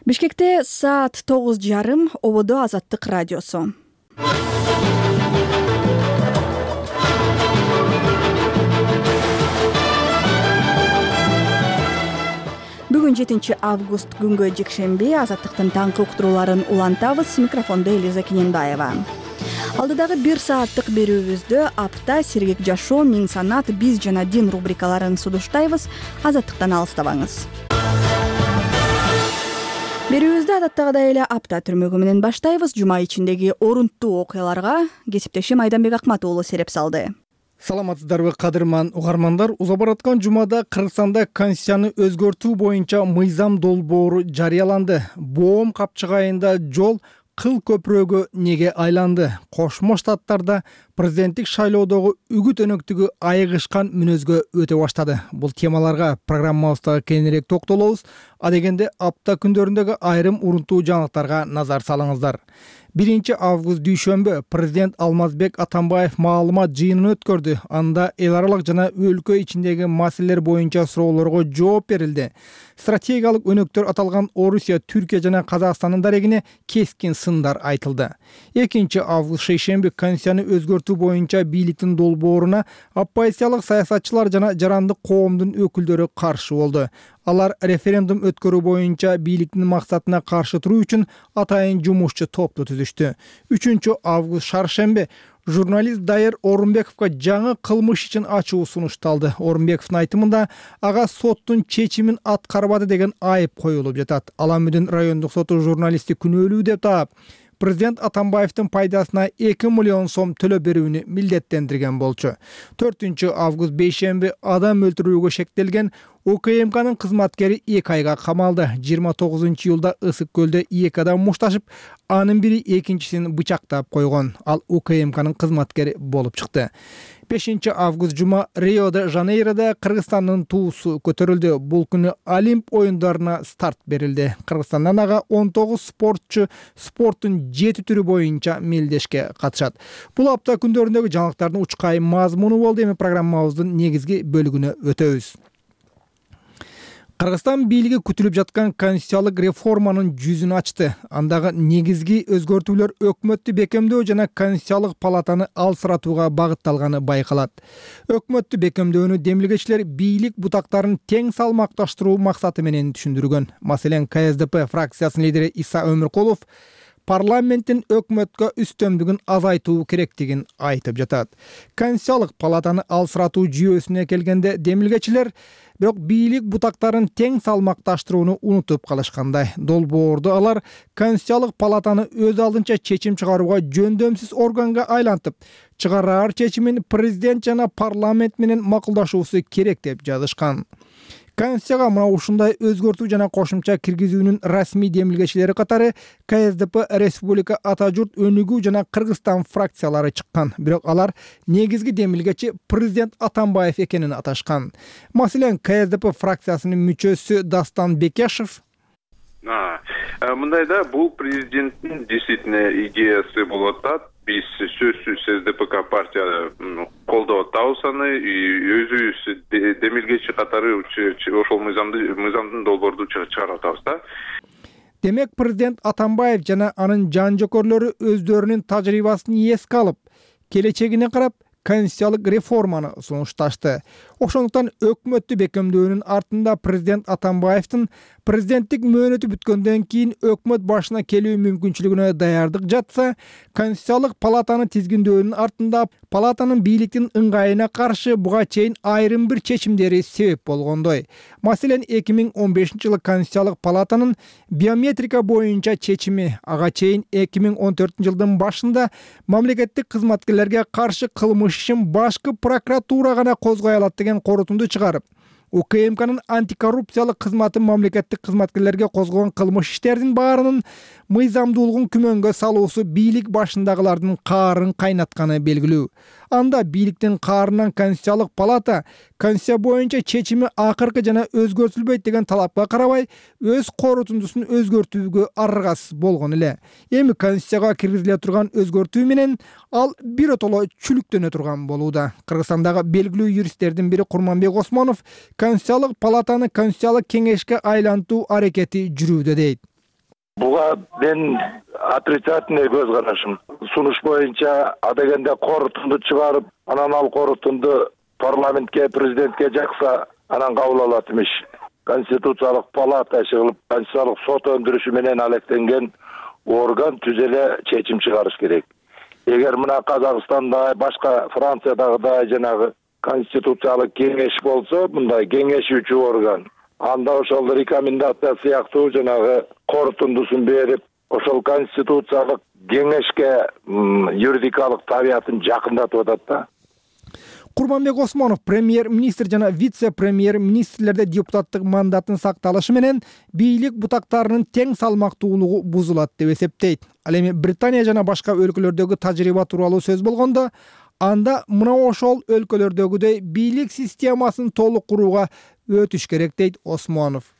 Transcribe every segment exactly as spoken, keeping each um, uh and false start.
Бишкекте саат тогуз жарым. Ободо Азаттык радиосу. Бүгүн жетинчи август күнгө жекшемби. Азаттыктын таңкы уктурууларын улантабыз. Микрофондо Элиза Кененбаева. Алдыдагы бир сааттык берүүбүздө апта, сергек жашоо, миң санат, биз жана дин рубрикаларын сунуштайбыз. Азаттыктан алыстабаңыз. Берүүбүздү адаттагыдай эле апта түрмөгү менен баштайбыз. Жума ичиндеги орунттуу окуяларга кесиптешим Айданбек Акматуулу сереп салды. Саламатсыздарбы кадырман угармандар. Уза бараткан жумада Кыргызстанда конституцияны өзгөртүү боюнча мыйзам долбоору жарыяланды. Боом капчыгайында жол кыл көпүрөгө неге айланды? Кошмо Штаттарда президенттик шайлоодогу үгүт өнөктүгү айыгышкан мүнөзгө өтө баштады. Бул темаларга программабызда кеңирээк токтолобуз. А дегенде апта күндөрүндөгү айрым урунттуу жаңылыктарга назар салыңыздар. биринчи август дүйшөмбү президент Алмазбек Атамбаев маалымат жыйынын өткөрдү. Анда эл аралык жана өлкө ичиндеги маселелер боюнча суроолорго жооп берилди. Стратегиялык өнөктөр аталган Орусия, Түркия жана Казакстандын дарегине кескин сындар айтылды. экинчи август шейшемби конституцияны өзгөртүү боюнча бийликтин долбооруна оппозициялык саясатчылар жана жарандык коомдун өкүлдөрү каршы болду. Алар референдум өткөрүү боюнча бийликтин максатына каршы туруу үчүн атайын жумушчу топту түзүштү. үчүнчү август шаршемби журналист Дайыр Орунбековго жаңы кылмыш үчүн ачуу сунушталды. Орунбековдун айтымында ага соттун чечимин аткарбады деген айып коюлуп жатат. Аламүдүн райондук соту журналистти күнөөлүү деп таап, президент Атамбаевдин пайдасына эки миллион сом төлөп берүүнү милдеттендирген болчу. төртүнчү август бейшемби адам өлтүрүүгө шектелген УКМКнын кызматкери эки айга камалды. жыйырма тогузунчу июлда Ысык көлдө эки адам мушташып, анын бири экинчисин бычактап койгон. Ал УКМКнын кызматкери болуп чыкты. бешинчи август жума Рио-де-Жанейрода Кыргызстандын туусу көтөрүлдү. Бул күнү Олимп оюндарына старт берилди. Кыргызстандан ага он тогуз спортчу спорттун жети түрү боюнча мелдешке катышат. Бул апта күндөрүндөгү жаңылыктардын учкай мазмуну болду. Эми программабыздын негизги бөлүгүнө өтөбүз. Кыргызстан бийлиги күтүлүп жаткан конституциялык реформанын жүзүн ачты. Андагы негизги өзгөртүүлөр өкмөттү бекемдөө жана конституциялык палатаны алсыратууга багытталганы байкалат. Өкмөттү бекемдөөнү демилгечилер бийлик бутактарын тең салмакташтыруу максаты менен түшүндүргөн. Маселен, Ка Эс Де Пэ фракциясынын лидери Иса Өмүркулов парламенттин өкмөткө үстөмдүгүн азайтуу керектигин айтып жатат. Конституциялык палатаны алсыратуу жүйөсүнө келгенде демилгечилер бирок бийлик бутактарын тең салмакташтырууну унутуп калышкандай. Долбоорду алар конституциялык палатаны өз алдынча чечим чыгарууга жөндөмсүз органга айлантып, чыгараар чечимин президент жана парламент менен макулдашуусу керек деп жазышкан. Конституцияга мына ушундай өзгөртүү жана кошумча киргизүүнүн расмий демилгечилери катары Ка Эс Де Пэ, Республика Ата журт Өнүгүү жана Кыргызстан фракциялары чыккан. Бирок алар негизги демилгечи президент Атамбаев экенин аташкан. Маселен, Ка Эс Де Пэ фракциясынын мүчөсү Дастан Бекешев мындайда бул президенттин действительно идеясы болуп атат. Биз сөзсүз Эс Де Пэ Ка партия колдоп атабыз аны, өзүбүз демилгечи катары ошол мыйзамды мыйзамдын долбоорду чыгарып атабыз да. Демек, президент Атамбаев жана анын жан жокөрлөрү өздөрүнүн тажрыйбасын эске алып, келечегине карап конституциялык реформаны сунушташты. Ошондуктан өкмөттү бекемдөөнүн артында президент Атамбаевдин президенттик мөөнөтү бүткөндөн кийин өкмөт башына келүү мүмкүнчүлүгүнө даярдык жатса, конституциялык палатаны тизгиндөөнүн артында палатанын бийликтин ыңгайына каршы буга чейин айрым бир чечимдери себеп болгондой. Маселен, эки миң он бешинчи жылы конституциялык палатанын биометрика боюнча чечими, ага чейин эки миң он төртүнчү жылдын башында мамлекеттик кызматкерлерге каршы кылмыш ишин башкы прокуратура гана козгой алат деген корутунду чыгарып, УКМКнын антикоррупциялык кызматы мамлекеттик кызматкерлерге козгогон кылмыш иштердин баарынын мыйзамдуулугун күмөнгө салуусу бийлик башындагылардын каарын кайнатканы белгилүү. Анда бийликтин каарынан Конституциялык палата Конституция боюнча чечими акыркы жана өзгөртүлбөйт деген талапка карабай өз корутундусун өзгөртүүгө аргасыз болгон эле. Эми Конституцияга киргизиле турган өзгөртүү менен ал биротоло чүлүктөнө турган болууда. Кыргызстандагы белгилүү юристтердин бири Курманбек Осмонов Конституциялык палатаны Конституциялык кеңешке айлантуу аракети жүрүүдө дейт. Буга мен отрицательный көз карашым. Сунуш боюнча адегенде корутунду чыгарып, анан ал корутунду парламентке, президентке жакса, анан кабыл алат имиш. Конституциялык палата чыгылып, конституциялык сот өндүрүшү менен алектенген орган түзөлө чечим чыгарыш керек. Эгер мына Казакстанда, башка Франциядагыдай жанагы конституциялык кеңеш болсо, мындай кеңешүүчү орган, анда ошол рекомендация сыяктуу жанагы корутундусун берип, ошол конституциялык кеңешке юридикалык табиятын жакындатып атат да. Курманбек Осмонов премьер-министр жана вице-премьер-министрлерде депутаттык мандатын сакталышы менен бийлик бутактарынын тең салмактуулугу бузулат деп эсептейт. Ал эми Британия жана башка өлкөлөрдөгү тажрыйба тууралуу сөз болгондо, анда мына ошол өлкөлөрдөгүдөй бийлик системасын толук курууга өтүш керек дейт Осмонов.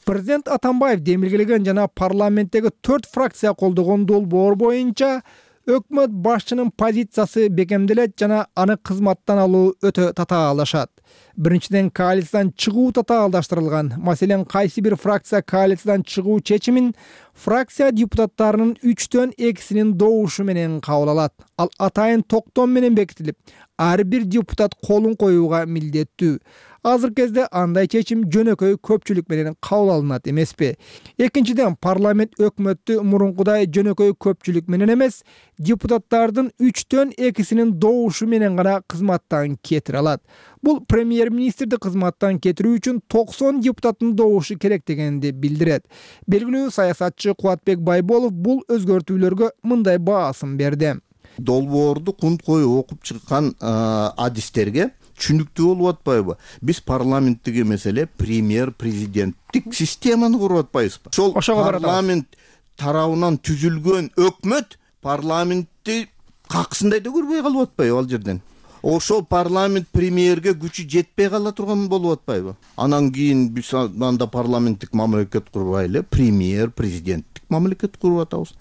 Президент Атамбаев демилгелеген жана парламенттеги төрт фракция колдогон долбоор боюнча өкмөт башчынын позициясы бекемделет жана аны кызматтан алуу өтө татаалдашат. Биринчиден, коалициядан чыгуу татаалдаштырылган. Маселен, кайсы бир фракция коалициядан чыгуу чечимин фракция депутаттарынын үчтөн экисинин добушу менен кабыл алат. Ал атайын токтом менен бекитилип, ар бир депутат колун коюуга милдеттүү. Азыр кезде андай чечим жөнөкөй көпчүлүк менен кабыл алынат эмеспи? Экинчиден, парламент өкмөттү мурункудай жөнөкөй көпчүлүк менен эмес, депутаттардын үчтөн экисинин добушу менен гана кызматтан кетире алат. Бул премьер-министрди кызматтан кетирүү үчүн токсон депутаттын добушу керек дегенди билдирет. Белгилүү саясатчы Кубатбек Байболов бул өзгөртүүлөргө мындай баасын берди. Долбоорду кунт коюп окуп чыккан адистерге түшүнүктүү болуп атпайбы? Биз парламенттик эмес эле премьер-президенттик системаны куруп атпайбызбы? Ошол парламент тарабынан түзүлгөн өкмөт парламентти каксындай да көрбөй калып атпайбы ал жерден? Ошол парламент премьерге күчү жетпей кала турган болуп атпайбы? Анан кийин биз анда парламенттик мамлекет курбай эле премьер-президенттик мамлекет куруп атабыз.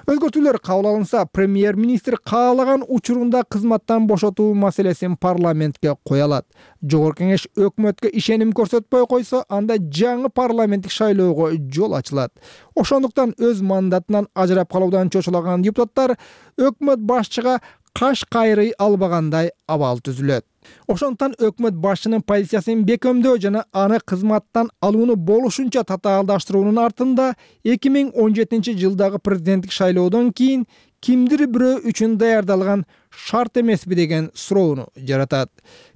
Өзгөртүүлөр кабыл алынса, премьер-министр каалаган учурунда кызматтан бошотуу маселесин парламентке кое алат. Жогорку кеңеш өкмөткө ишеним көрсөтпөй койсо, анда жаңы парламенттик шайлоого жол ачылат. Ошондуктан өз мандатынан ажырап калуудан чочулаган депутаттар өкмөт башчыга каш кайрый албагандай абал түзүлөт. Ошондуктан өкмөт башчынын позициясын бекемдөө жана аны кызматтан алууну болушунча татаалдаштыруунун артында эки миң он жетинчи жылдагы президенттик шайлоодон кийин кимдир бирөө үчүн даярдалган шарт эмеспи деген суроону жаратат.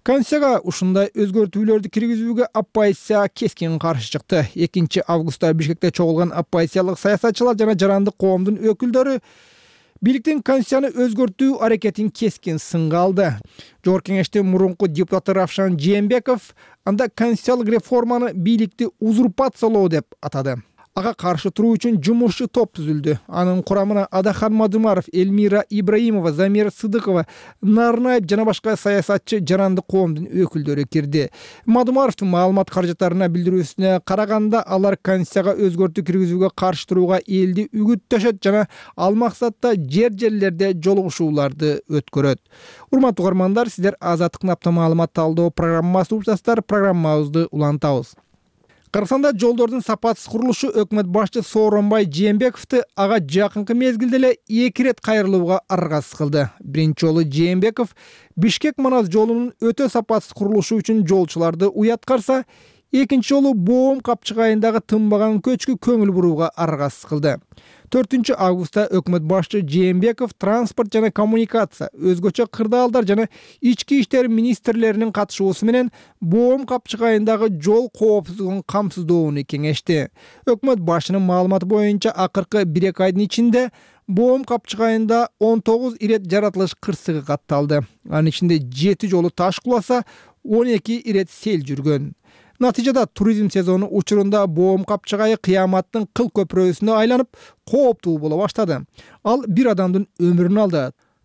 Конституцияга ушундай өзгөртүүлөрдү киргизүүгө оппозиция кескин каршы чыкты. экинчи августта Бишкекте чогулган оппозициялык саясатчылар жана жарандык коомдун өкүлдөрү бийликтин конституцияны өзгөртүү аракетин кескин сынга алды. Жогорку кеңештин мурунку депутаты Равшан Жээнбеков анда конституциялык реформаны бийликти узурпациялоо деп атады. Ага каршы туруу үчүн жумушчу топ түзүлдү. Анын курамына Адахан Мадумаров, Эльмира Ибраимова, Замир Сыдыкова, Нарнаев жана башка саясатчы жарандык коомдун өкүлдөрү кирди. Мадумаровдун маалымат каражаттарына билдирүүсүнө караганда, алар конституцияга өзгөртүү киргизүүгө каршы турууга элди үгүттөшөт жана ал максатта жер-жерлерде жолугушууларды өткөрөт. Урматтуу угармандар, сиздер Азаттыктын апта маалымат талдоо программасын угуп жатасыздар. Программабызды улантабыз. Кыргызстанда жолдордун сапатсыз курулушу өкмөт башчы Сооронбай Жээнбековду ага жакынкы мезгилде эле эки ирет кайрылууга аргасыз кылды. Биринчи жолу Жээнбеков Бишкек-Манас жолунун өтө сапатсыз курулушу үчүн жолчуларды уяткарса, экинчи жолу Боом капчыгайындагы тынбаган көчкү көңүл бурууга аргасыз кылды. төртүнчү августта өкмөт башчы Жээнбеков транспорт жана коммуникация, өзгөчө кырдаалдар жана ички иштер министрлеринин катышуусу менен Боом капчыгайындагы жол коопсуздугун камсыздоону кеңешти. Өкмөт башчынын маалыматы боюнча акыркы бир эки айдын ичинде Боом капчыгайында он тогуз ирет жаратылыш кырсыгы катталды. Анын ичинде жети жолу таш куласа, он эки ирет сел жүргөн. Натыйжада туризм сезону учурунда Боом капчыгайы кыяматтын кыл көпүрөсүнө айланып, кооптуу боло баштады. Ал бир адамдын өмүрүн алды.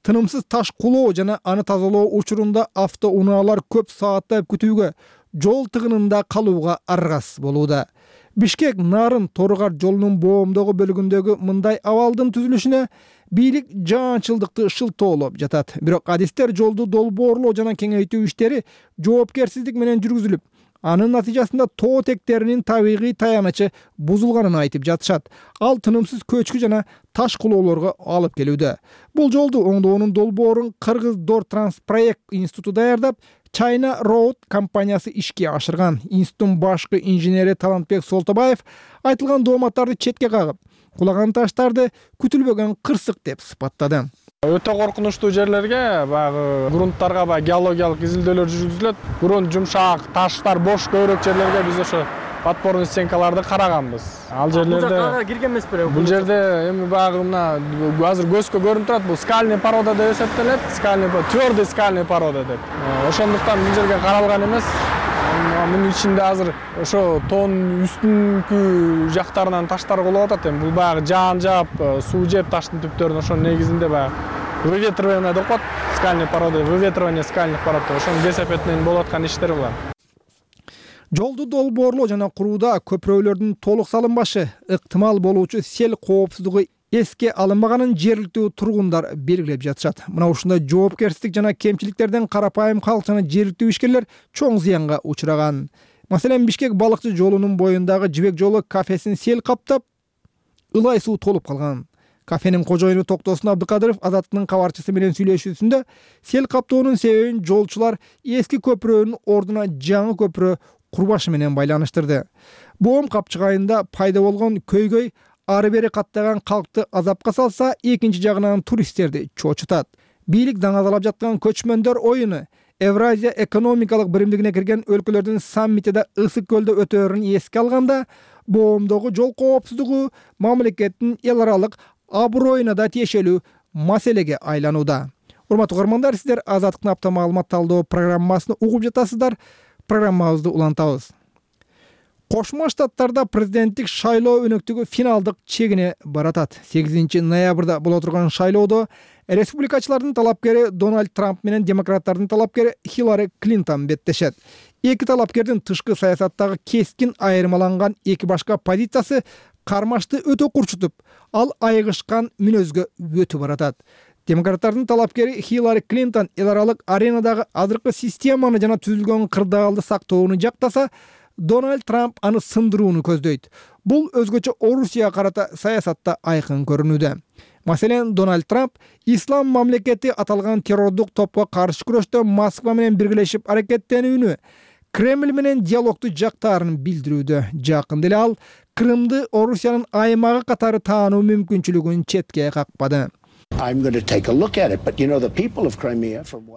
Тынымсыз таш кулоо жана аны тазалоо учурунда автоунаалар көп сааттап күтүүгө, жол тыгынында калууга аргасыз болууда. Бишкек Нарын Торгар жолунун Боомдогу бөлүгүндөгү мындай абалдын түзүлүшүнө бийлик жаанчылдыкты шылтоолоп жатат. Бирок адистер жолду долбоорлоо жана кеңейтүү иштери жоопкерсиздик менен жүргүзүлүп, Анын натыйжасында тоо тектеринин табигый таянычы бузулганын айтып жатышат. Ал тынымсыз көчкү жана таш кулоолорго алып келүүдө. Бул жолду оңдоонун долбоорун Кыргыз Дортранспроект институту даярдап, China Road компаниясы ишке ашырган. Институттун башкы инженери Талантбек Солтобаев айтылган дооматтарды четке кагып, кулаган таштарды күтүлбөгөн кырсык деп сыпаттады. Өтө коркунучтуу жерлерге баягы грунттарга баягы геологиялык изилдөөлөр жүргүзүлөт. Грунт жумшак, таштар бош көбүрөөк жерлерге биз ошо подпорный стенкаларды караганбыз. Ал жерлерде бул жакка кирген эмес беле? Бул жерде эми баягы мына азыр көзгө көрүнүп турат, бул скальный порода деп эсептелет. Скальный, твёрдый скальный порода деп. Ошондуктан бул жерге каралган эмес. Мунун ичинде азыр ошо тоонун үстүнкү жактарынан таштар кулап атат. Эми бул баягы жаан жаап, суу жеп таштын түптөрүн ошонун негизинде баягы выветривание деп коет. Скальный порода, выветривание скальных пород. Ошонун кесепет менен болуп аткан иштер булар. Жолду долбоорлоо жана курууда көпүрөлөрдүн толук салынбашы, ыктымал болуучу сел коопсуздугу эске алынбаганын жергиликтүү тургундар белгилеп жатышат. Мына ушундай жоопкерчилик жана кемчиликтерден карапайым калк жана жергиликтүү ишкерлер чоң зыянга учураган. Маселен, Бишкек балыкчы жолунун боюндагы жибек жолу кафесин сел каптап, ылай суу толуп калган. Кафенин кожоюну Токтосун Абдыкадыров Азаттыктын кабарчысы менен сүйлөшүүсүндө сел каптоонун себебин жолчулар эски көпүрөнүн ордуна жаңы көпүрө курбашы менен байланыштырды. Боом капчыгайында пайда болгон көйгөй ары бери каттаган калкты азапка салса, экинчи жагынан туристтерди чочутат. Бийлик даңазалап жаткан көчмөндөр оюну Евразия экономикалык биримдигине кирген өлкөлөрдүн саммитиде Ысык көлдө өтөөрүн эске алганда, боомдогу жол коопсуздугу мамлекеттин эл аралык аброюна да тиешелүү маселеге айланууда. Урматтуу угармандар, сиздер Азаттыктын апта маалымат талдоо программасын угуп жатасыздар. Программабызды улантабыз. Кошмо Штаттарда президенттик шайлоо өнөктүгү финалдык чегине баратат. сегизинчи ноябрда боло турган шайлоодо республикачылардын талапкери Дональд Трамп менен демократтардын талапкери Хиллари Клинтон беттешет. Эки талапкердин тышкы саясаттагы кескин айырмаланган эки башка позициясы кармашты өтө курчутуп, ал айыгышкан мүнөзгө өтүп баратат. Демократтардын талапкери Хиллари Клинтон эл аралык аренадагы азыркы системаны жана түзүлгөн кырдаалды сактоону жактаса, Дональд Трамп аны сындырууну көздөйт. Бул өзгөчө Орусияга карата саясатта айкын көрүнүүдө. Маселен, Дональд Трамп ислам мамлекети аталган террордук топко каршы күрөштө Москва менен биргелешип аракеттенүүнү, Кремль менен диалогду жактаарын билдирүүдө. Жакында эле ал Крымды Орусиянын аймагы катары таануу мүмкүнчүлүгүн четке какпады.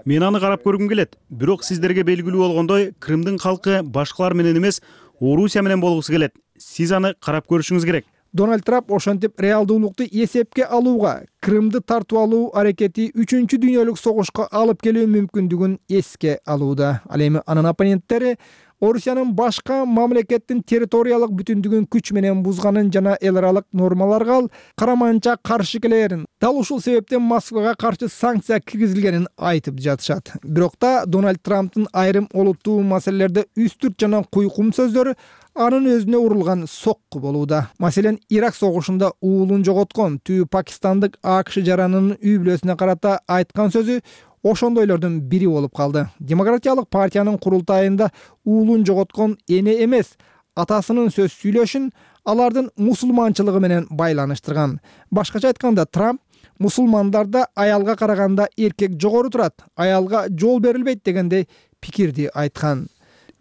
Мен аны карап көргүм келет. Бирок сиздерге белгилүү болгондой, Крымдын калкы башкалар менен эмес, Орусия менен болгусу келет. Сиз аны карап көрүшүңүз керек. Дональд Трамп ошентип реалдуулукту эсепке алууга, Крымды тартып алуу аракети үчүнчү дүйнөлүк согушка алып келүү мүмкүндүгүн эске алууда. Ал эми анын оппоненттери Орусиянын башка мамлекеттин территориялык бүтүндүгүн күч менен бузганын жана эл аралык нормаларга караманча каршы келерин, дал ушул себептен Москвага каршы санкция киргизилгенин айтып жатышат. Бирок да Дональд Трамптын айрым олуттуу маселелерде үстүрт жана куйкум сөздөрү анын өзүнө урулган сокку болууда. Маселен, Ирак согушунда уулун жоготкон түбү пакистандык АКШ жаранынын үй бүлөсүнө карата айткан сөзү ошондойлордун бири болуп калды. Демократиялык партиянын курултайында уулун жоготкон эне эмес, атасынын сөз сүйлөшүн алардын мусулманчылыгы менен байланыштырган. Башкача айтканда, Трамп мусулмандарда аялга караганда эркек жогору турат, аялга жол берилбейт дегендей пикирди айткан.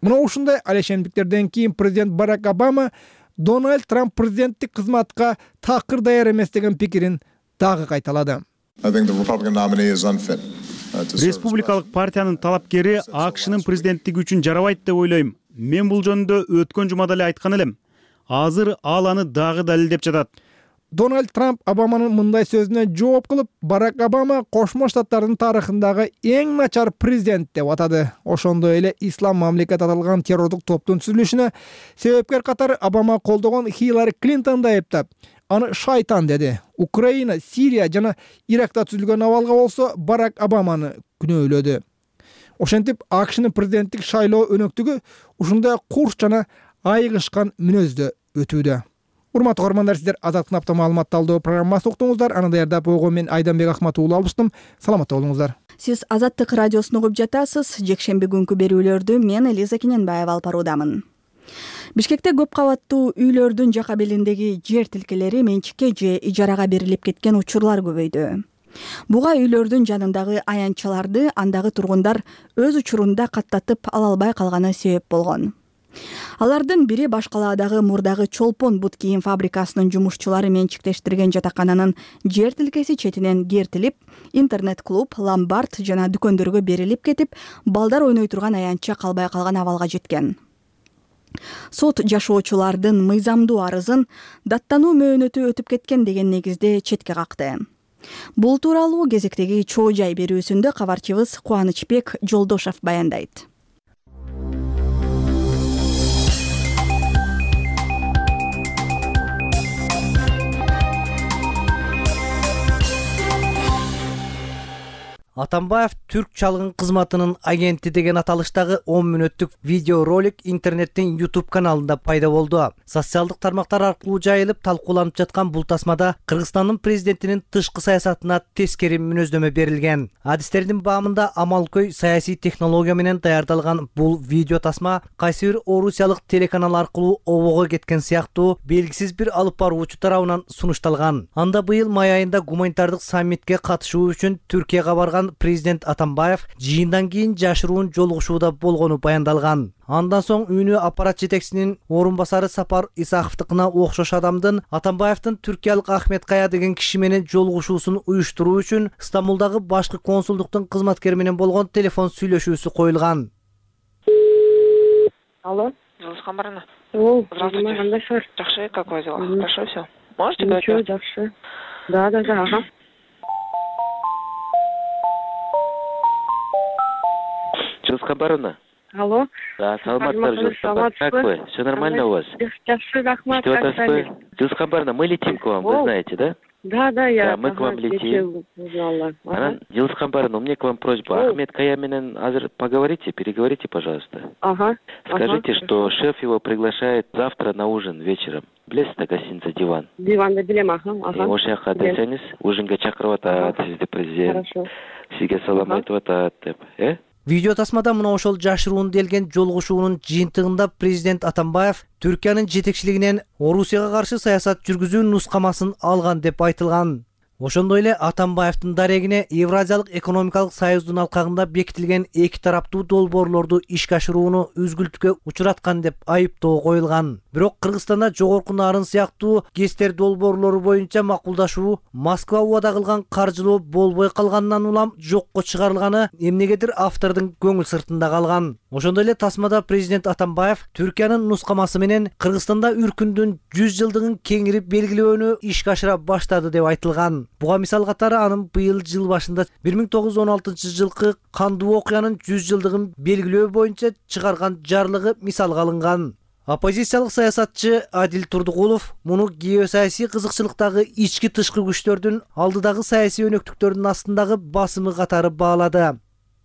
Мына ушундай алешемдиктерден кийин президент Барак Обама Дональд Трамп президенттик кызматка такыр даяр эмес деген пикирин дагы кайталады. Республикалык партиянын талапкери АКШнын президенттиги үчүн жарабайт деп ойлойм. Мен бул жөнүндө өткөн жумада эле айткан элем. Азыр ал аны дагы далилдеп жатат. Дональд Трамп Обаманын мындай сөзүнө жооп кылып, Барак Обама Кошмо Штаттардын тарыхындагы эң начар президент деп атады. Ошондой эле ислам мамлекет аталган террордук топтун түзүлүшүнө себепкер катары Обама колдогон Хиллари Клинтонду айыптап, аны шайтан деди. Украина, Сирия жана Иракта түзүлгөн абалга болсо Барак Обаманы күнөөлөдү. Ошентип, АКШнын президенттик шайлоо өнөктүгү ушундай курч жана айыгышкан мүнөздө өтүүдө. Урматтуу көрөрмандар, сиздер Азаттыктын апта маалымат талдоо программасын уктуңуздар. Аны даярдап койгон мен Айданбек Ахматов уулу алыштым. Саламатта болуңуздар. Сиз Азаттык радиосун угуп жатасыз. Жекшемби күнкү берүүлөрдү мен Элиза Кененбаева алып баруудамын. Бишкекте көп кабаттуу үйлөрдүн жака белиндеги жер тилкелери менчикке же ижарага берилип кеткен учурлар көбөйдү. Буга үйлөрдүн жанындагы аянтчаларды андагы тургундар өз учурунда каттатып ала албай калганы себеп болгон. Алардын бири Баш калаадагы мурдагы Чолпон бут кийим фабрикасынын жумушчулары менчиктештирген жатакананын жер тилкеси четинен кертилип, интернет-клуб, ломбард жана дүкөндөргө берилип кетип, балдар ойной турган аянтча калбай калган абалга жеткен. Сот жашоочулардын мыйзамдуу арызын даттануу мөөнөтү өтүп кеткен деген негизде четке какты. Бул тууралуу кезектеги чоо жай берүүсүндө кабарчыбыз Кубанычбек Жолдошов баяндайт. Атамбаев Түрк чалгын кызматынын агенти деген аталыштагы он мүнөттүк видео ролик интернеттин YouTube каналында пайда болду. Социалдык тармактар аркылуу жайылып талкууланып жаткан бул тасмада Кыргызстандын президентинин тышкы саясатына тескери мүнөздөмө берилген. Адистердин баамында амалкөй саясий технология менен даярдалган бул видео тасма кайсы бир орусиялык телеканал аркылуу обого кеткен сыяктуу белгисиз бир алып баруучу тарабынан сунушталган. Анда быйыл май айында гуманитардык саммитке катышуу үчүн Түркияга барган президент Атамбаев жыйындан кийин жашыруун жолугушууда болгону баяндалган. Андан соң үйүнө аппарат жетекчисинин орун басары Сапар Исаховдукуна окшош адамдын Атамбаевдин түркиялык Ахмет Кая деген киши менен жолугушуусун уюштуруу үчүн Стамбулдагы башкы консулдуктун кызматкери менен болгон телефон сүйлөшүүсү коюлган. Алло, Жылышкан барына. О, здравствуйте. Кандайсыздар? Жакшы, как у вас дела? Хорошо всё. Можете говорить? Ничего, жакшы. Да, да, да, ага. Жылышкан барына. Алло. Да, саламатсыздар, Жылышкан. Как вы? Все нормально у вас? Жакшы, рахмат. Жылышкан барына, мы летим к вам, вы знаете, да? Да, да, я. Да, мы к вам летим. Анан, Жылышкан барына, у меня к вам просьба. Ахмет Кая менен азыр поговорите, переговорите, пожалуйста. Ага. Скажите, что шеф его приглашает завтра на ужин вечером. Билесиз да, гостиница «Диван». Диванды билем, ага. Ошол жака десеңиз, ужинге чакырып атат сизди президент. Хорошо. Сизге салам айтып атат деп, э? Видео тасмада мына ошол жашыруун делген жолугушуунун жыйынтыгында президент Атамбаев Түркиянын жетекчилигинен Орусияга каршы саясат жүргүзүү нускамасын алган деп айтылган. Ошондой эле Атамбаевдин дарегине Евразиялык экономикалык союздун алкагында бекитилген эки тараптуу долбоорлорду ишке ашырууну үзгүлтүккө учураткан деп айыптоо коюлган. Бирок Кыргызстанда жогорку нарын сыяктуу ГЭСтер долбоорлору боюнча макулдашуу Москва убада кылган каржылоо болбой калганынан улам жокко чыгарылганы эмнегедир автордун көңүл сыртында калган. Ошондой эле тасмада президент Атамбаев Түркиянын нускамасы менен Кыргызстанда үркүндүн жүз жылдыгын кеңири белгилөөнү ишке ашыра баштады деп айтылган. Буга мисал катары анын быйыл жыл башында бир миң тогуз жүз он алтынчы жылкы кандуу окуянын жүз жылдыгын белгилөө боюнча чыгарган жарлыгы мисалга алынган. Оппозициялык саясатчы Адил Турдугулов муну геосаясий кызыкчылыктагы ички тышкы күчтөрдүн алдыдагы саясий өнөктүктөрдүн астындагы басымы катары баалады.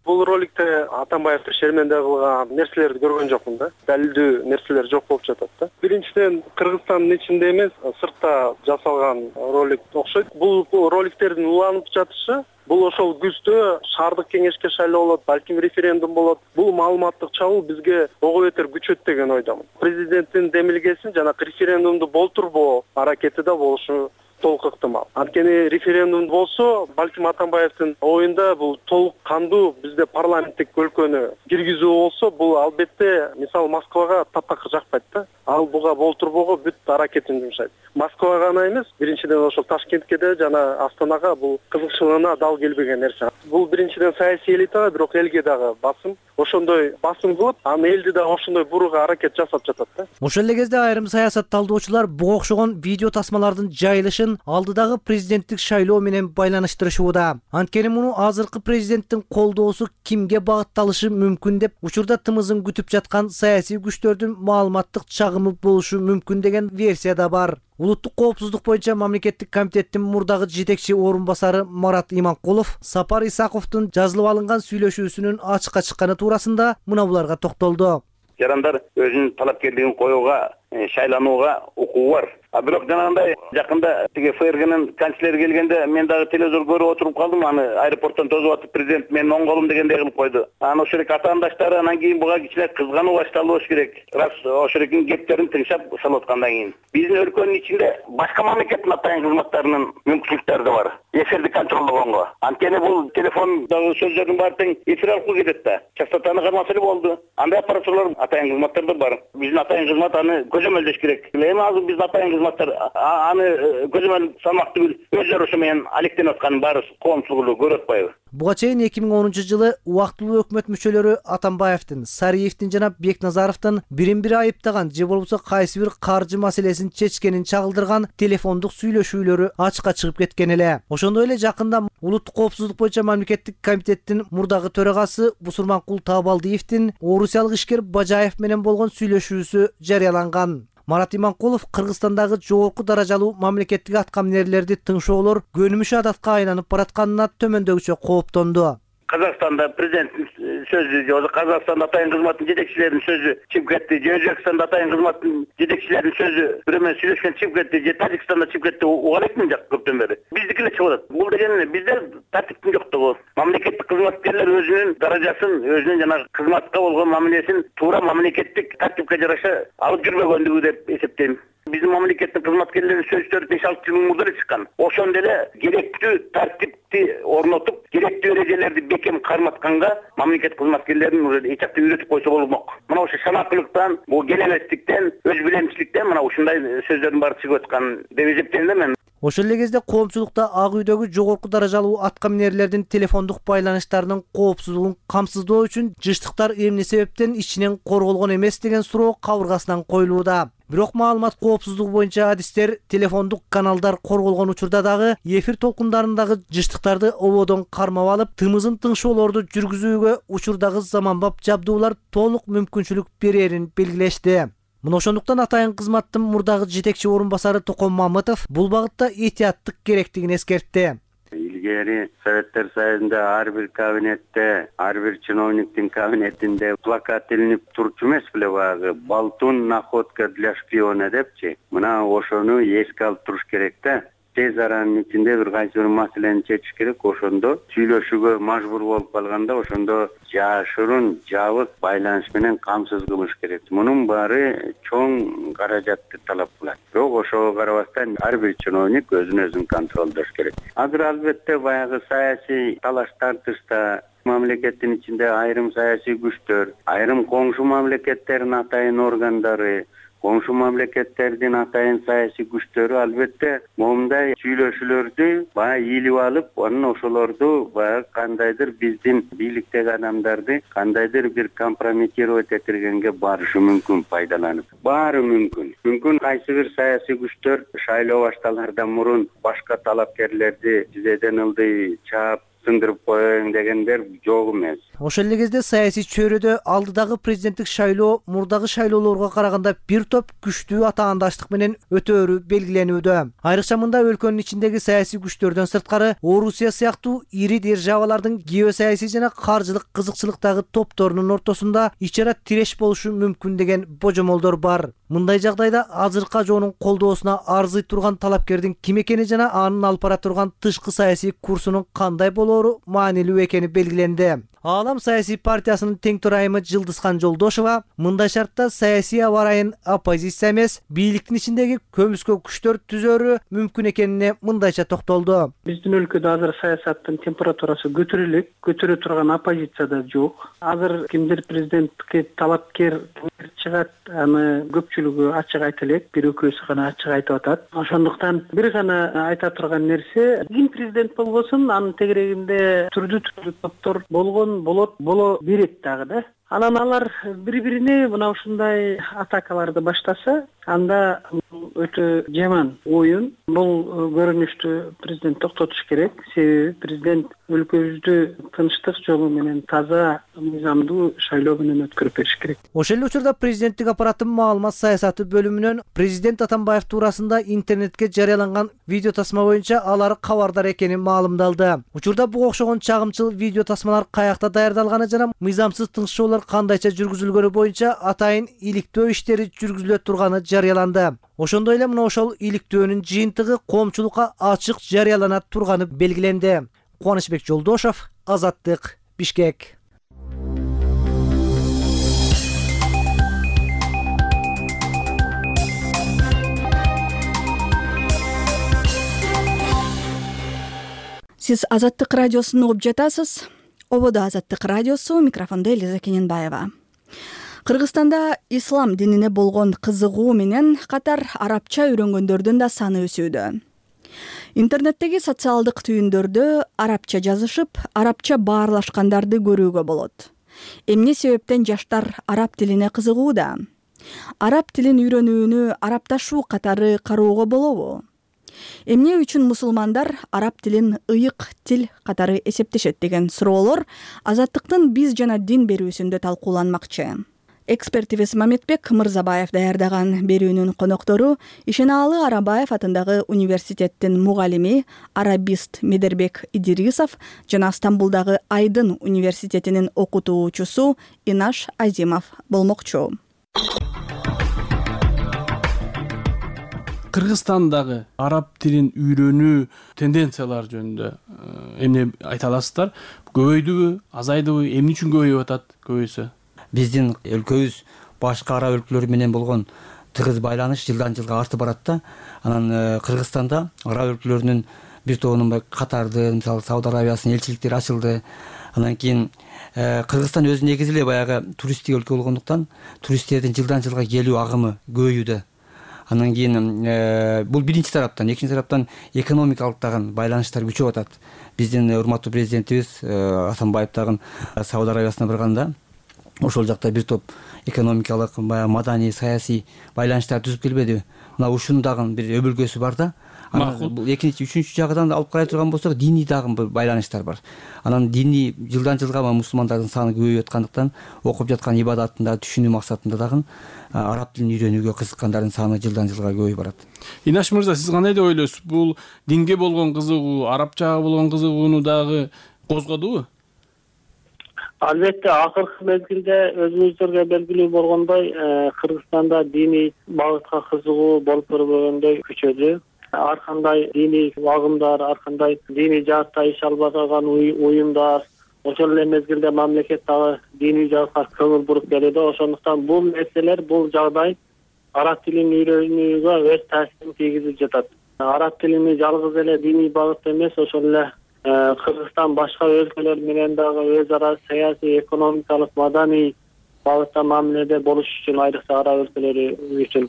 Бул роликте Атамбаев шерменде кылган нерселерди көргөн жокмун да. Далилдүү нерселер жок болуп жатат да. Биринчиден Кыргызстандын ичинде эмес, сыртта жасалган ролик окшойт. Бул роликтердин уланып жатышы бул ошол күздө шаардык кеңешке шайлоо болот, балким референдум болот. Бул маалыматтык чабуу бизге ого бетер күчөт деген ойдомун. Президенттин демилгесин жана референдумду болтурбоо аракети да болушу толук ыктымал. Анткени референдум болсо, балким Атамбаевдин оюнда бул толук кандуу бизде парламенттик өлкөнү киргизүү болсо, бул албетте мисал Москвага таптакыр жакпайт да. Ал буга болтурбоого бүт аракетин жумшайт. Москвага гана эмес, биринчиден ошол Ташкентке да жана Астанага бул кызыкчылыгына дал келбеген нерсе. Бул биринчиден саясий элитага, бирок элге дагы басым. Ошондой басым кылып, аны элди да ошондой бурууга аракет жасап жатат да. Ошол эле кезде айрым саясат талдоочулар буга окшогон видео тасмалардын жайылышын алдыдагы президенттик шайлоо менен байланыштырышууда. Анткени муну азыркы президенттин колдоосу кимге багытталышы мүмкүн деп учурда тымызын күтүп жаткан саясий күчтөрдүн маалыматтык чагымы болушу мүмкүн деген версия да бар. Улуттук коопсуздук боюнча мамлекеттик комитеттин мурдагы жетекчи орун басары Марат Иманкулов Сапар Исаховдун жазылып алынган сүйлөшүүсүнүн ачыкка чыкканы туурасында мына буларга токтолду. Жарандар өзүнүн талапкерлигин коюуга шайланууга укугу бар. А бирок жанагындай жакында тиги ФРГнын канцлери келгенде мен дагы телевизор көрүп отуруп калдым. Аны аэропорттон тосуп атып президент менин оң колум дегендей кылып койду. Анан ошол эле атаандаштары анан кийин буга кичине кызгануу башталды болуш керек. Раз ошол эле кептерин тыңшап салып аткандан кийин. Биздин өлкөнүн ичинде башка мамлекеттин атайын кызматтарынын мүмкүнчүлүктөрү да бар. Эфирди контролдогонго. Анткени бул телефондогу сөздөрдүн баары тең эфир аркылуу кетет да. Частотаны кармаса эле болду. Андай аппаратурлар атайын кызматтар да бар. Биздин атайын кызмат аны көзөмөлдөш керек. Эми азыр биздин атайын кызматтар аны көзөмөл салмак түгүл өздөрү ошо менен алектенип атканын баары коомчулугу көрүп атпайбы? Буга чейин эки миң онунчу жылы убактылуу өкмөт мүчөлөрү Атамбаевдин, Сариевдин жана Бекназаровдун бирин-бири айыптаган же болбосо кайсы бир каржы маселесин чечкенин чагылдырган телефондук сүйлөшүүлөрү ачыкка чыгып кеткен эле. Ошондой эле жакында улуттук коопсуздук боюнча мамлекеттик комитеттин мурдагы төрагасы Бусурманкул Таабалдиевдин орусиялык ишкер Бажаев менен болгон сүйлөшүүсү жарыяланган. Марат Иманкулов Кыргызстандагы жогорку даражалуу мамлекеттик аткаминерлерди тыңшоолор көнүмүш адатка айланып баратканына төмөндөгүчө кооптонду. Казакстанда президенттин сөзү же Казакстанда атайын кызматтын жетекчилеринин сөзү чыгып кетти, же Өзбекстанда атайын кызматтын жетекчилеринин сөзү бирөө менен сүйлөшкөн чыгып кетти, же Тажикстанда чыгып кетти, уга элекмин жак көптөн бери. Биздики эле чыгып атат. Бул деген бизде тартиптин жоктугу. Мамлекеттик кызматкерлер өзүнүн даражасын, өзүнүн жана кызматка болгон мамилесин туура мамлекеттик тартипке жараша алып жүрбөгөндүгү деп эсептейм. Биздин мамлекеттин кызматкерлеринин сөзүлөрү беш алты жыл мурда эле чыккан. Ошондо эле керектүү тартипти орнотуп, керектүү эрежелерди бекем карматканга мамлекет кызматкерлерин уже эч жакта үйрөтүп койсо болмок. Мына ошо шанакылыктан, бул келебестиктен, өз билемчиликтен мына ушундай сөздөрдүн баары чыгып аткан деп эсептейм да мен. Ошол эле кезде коомчулукта Ак үйдөгү жогорку даражалуу аткаминерлердин телефондук байланыштарынын коопсуздугун камсыздоо үчүн жыштыктар эмне себептен ичинен корголгон эмес деген суроо кабыргасынан коюлууда. Бирок маалымат коопсуздугу боюнча адистер телефондук каналдар корголгон учурда дагы эфир толкундарындагы жыштыктарды ободон кармап алып, тымызын тыңшоолорду жүргүзүүгө учурдагы заманбап жабдуулар толук мүмкүнчүлүк берерин белгилешти. Мына ошондуктан атайын кызматтын мурдагы жетекчи орун басары Токон Мамытов бул багытта этияттык керектигин эскертти. Илгери Советтер Союзунда ар бир кабинетте, ар бир чиновниктин кабинетинде плакат илинип турчу эмес беле баягы «Болтун находка для шпиона» депчи. Мына ошону эске алып туруш керек да. Тез аранын ичинде бир кайсы бир маселени чечиш керек. Ошондо сүйлөшүүгө мажбур болуп калганда ошондо жашырын, жабык байланыш менен камсыз кылыш керек. Мунун баары чоң каражатты талап кылат. Бирок ошого карабастан ар бир чиновник өзүн өзүн контролдош керек. Азыр албетте баягы саясий талаш тартышта мамлекеттин ичинде айрым саясий күчтөр, айрым коңшу мамлекеттердин атайын органдары, коңшу мамлекеттердин атайын саясий күчтөрү албетте момундай сүйлөшүүлөрдү баягы ийилип алып, анан ошолорду баягы кандайдыр биздин бийликтеги адамдарды кандайдыр бир компрометировать этиргенге барышы мүмкүн, пайдаланып. Баары мүмкүн. Мүмкүн кайсы бир саясий күчтөр шайлоо башталардан мурун башка талапкерлерди тизеден ылдый чаап сындырып коеюн дегендер жок эмес. Ошол эле кезде саясий чөйрөдө алдыдагы президенттик шайлоо мурдагы шайлоолорго караганда бир топ күчтүү атаандаштык менен өтөөрү белгиленүүдө. Айрыкча мында өлкөнүн ичиндеги саясий күчтөрдөн сырткары Орусия сыяктуу ири державалардын геосаясий жана каржылык кызыкчылыктагы топторунун ортосунда ичара тиреш болушу мүмкүн деген божомолдор бар. Мындай жагдайда азыркы ажоонун колдоосуна арзый турган талапкердин ким экени жана анын алып бара турган тышкы саясий курсунун кандай болоору маанилүү экени белгиленди. Аалам саясий партиясынын тең төрайымы Жылдызхан Жолдошова мындай шартта саясий аба ырайын оппозиция эмес, бийликтин ичиндеги көмүскө күчтөр түзөрү мүмкүн экенине мындайча токтолду. Биздин өлкөдө азыр саясаттын температурасы көтөрүлө элек, көтөрө турган оппозиция да жок. Азыр кимдир президентке талапкер чыгат, аны көпчүлүгү ачык айта элек, бир экөөсү гана ачык айтып атат. Ошондуктан бир гана айта турган нерсе, ким президент болбосун, анын тегерегинде түрдүү-түрдүү топтор болгон болот боло берет дагы да. Анан алар бири-бирине мына ушундай атакаларды баштаса, анда өтө жаман оюн. Бул көрүнүштү президент токтотуш керек. Себеби президент өлкөбүздү тынчтык жолу менен таза, мыйзамдуу шайлоо менен өткөрүп бериш керек. Ошол эле учурда президенттик аппараттын маалымат саясаты бөлүмүнөн президент Атамбаев туурасында интернетке жарыяланган видео тасма боюнча алар кабардар экени маалымдалды. Учурда буга окшогон чагымчыл видео тасмалар каякта даярдалганы жана мыйзамсыз тыңшоолор кандайча жүргүзүлгөнү боюнча атайын иликтөө иштери жүргүзүлө турганы жарыяланды. Ошондой эле мына ошол иликтөөнүн жыйынтыгы коомчулукка ачык жарыялана турганы белгиленди. Кубанычбек Жолдошов, Азаттык, Бишкек. Сиз Азаттык радиосун угуп жатасыз. Ободо Азаттык радиосу, микрофондо Элиза Кененбаева. Кыргызстанда ислам динине болгон кызыгуу менен катар арабча үйрөнгөндөрдүн да саны өсүүдө. Интернеттеги социалдык түйүндөрдө арабча жазышып, арабча баарлашкандарды көрүүгө болот. Эмне себептен жаштар араб тилине кызыгууда? Араб тилин үйрөнүүнү арабташуу катары кароого болобу? Эмне үчүн мусулмандар араб тилин ыйык тил катары эсептешет деген суроолор Азаттыктын биз жана дин берүүсүндө талкууланмакчы. Экспертибиз Мамедбек Мырзабаев даярдаган берүүнүн коноктору Ишенаалы Арабаев атындагы университеттин мугалими, арабист Медербек Идирисов жана Стамбулдагы Айдын университетинин окутуучусу Инаш Азимов болмокчу. Кыргызстандагы араб тилин үйрөнүү тенденциялары жөнүндө эмне айта аласыздар? Көбөйдүбү, азайдыбы, эмне үчүн көбөйүп атат, көбөйсө? Биздин өлкөбүз башка араб өлкөлөр менен болгон тыгыз байланыш жылдан жылга артып барат да. Анан Кыргызстанда араб өлкөлөрүнүн бир тобунун Катарды, мисалы Сауд Арабиясынын элчиликтери ачылды. Анан кийин Кыргызстан өзү негизи эле баягы туристтик өлкө болгондуктан туристтердин жылдан жылга келүү агымы көбөйүүдө. Анан кийин бул биринчи тараптан, экинчи тараптан экономикалык дагы байланыштар күчөп атат. Биздин урматтуу президентибиз Атамбаев дагы Сауд Арабиясына барганда ошол жакта бир топ экономикалык, баягы маданий, саясий байланыштар түзүп келбедиби? Мына ушунун дагы бир өбөлгөсү бар да. Бул экинчи, үчүнчү жагынан алып карай турган болсок, диний дагы бир байланыштар бар. Анан диний жылдан жылга мусулмандардын саны көбөйүп аткандыктан окуп жаткан ибадатында, түшүнүү максатында дагы араб тилин үйрөнүүгө кызыккандардын саны жылдан жылга көбөйүп барат. Инаш мырза, сиз кандай деп ойлойсуз? Бул динге болгон кызыгуу, арабчага болгон кызыгууну дагы козгодубу? Албетте, акыркы мезгилде өзүңүздөргө белгилүү болгондой, Кыргызстанда диний багытка кызыгуу болуп көрбөгөндөй күчөдү. Ар кандай диний агымдар, ар кандай диний жаатта иш алып жаткан уюмдар, ошол эле мезгилде мамлекет дагы диний жаатка көңүл буруп келүүдө. Ошондуктан бул нерселер, бул жагдай араб тилин үйрөнүүгө өз таасирин тийгизип жатат. Араб тилини жалгыз эле диний багытта эмес, ошол эле Кыргызстан башка өлкөлөр менен дагы өз ара саясий, экономикалык, маданий багытта мамиледе болуш үчүн, айрыкча араб өлкөлөрү үчүн,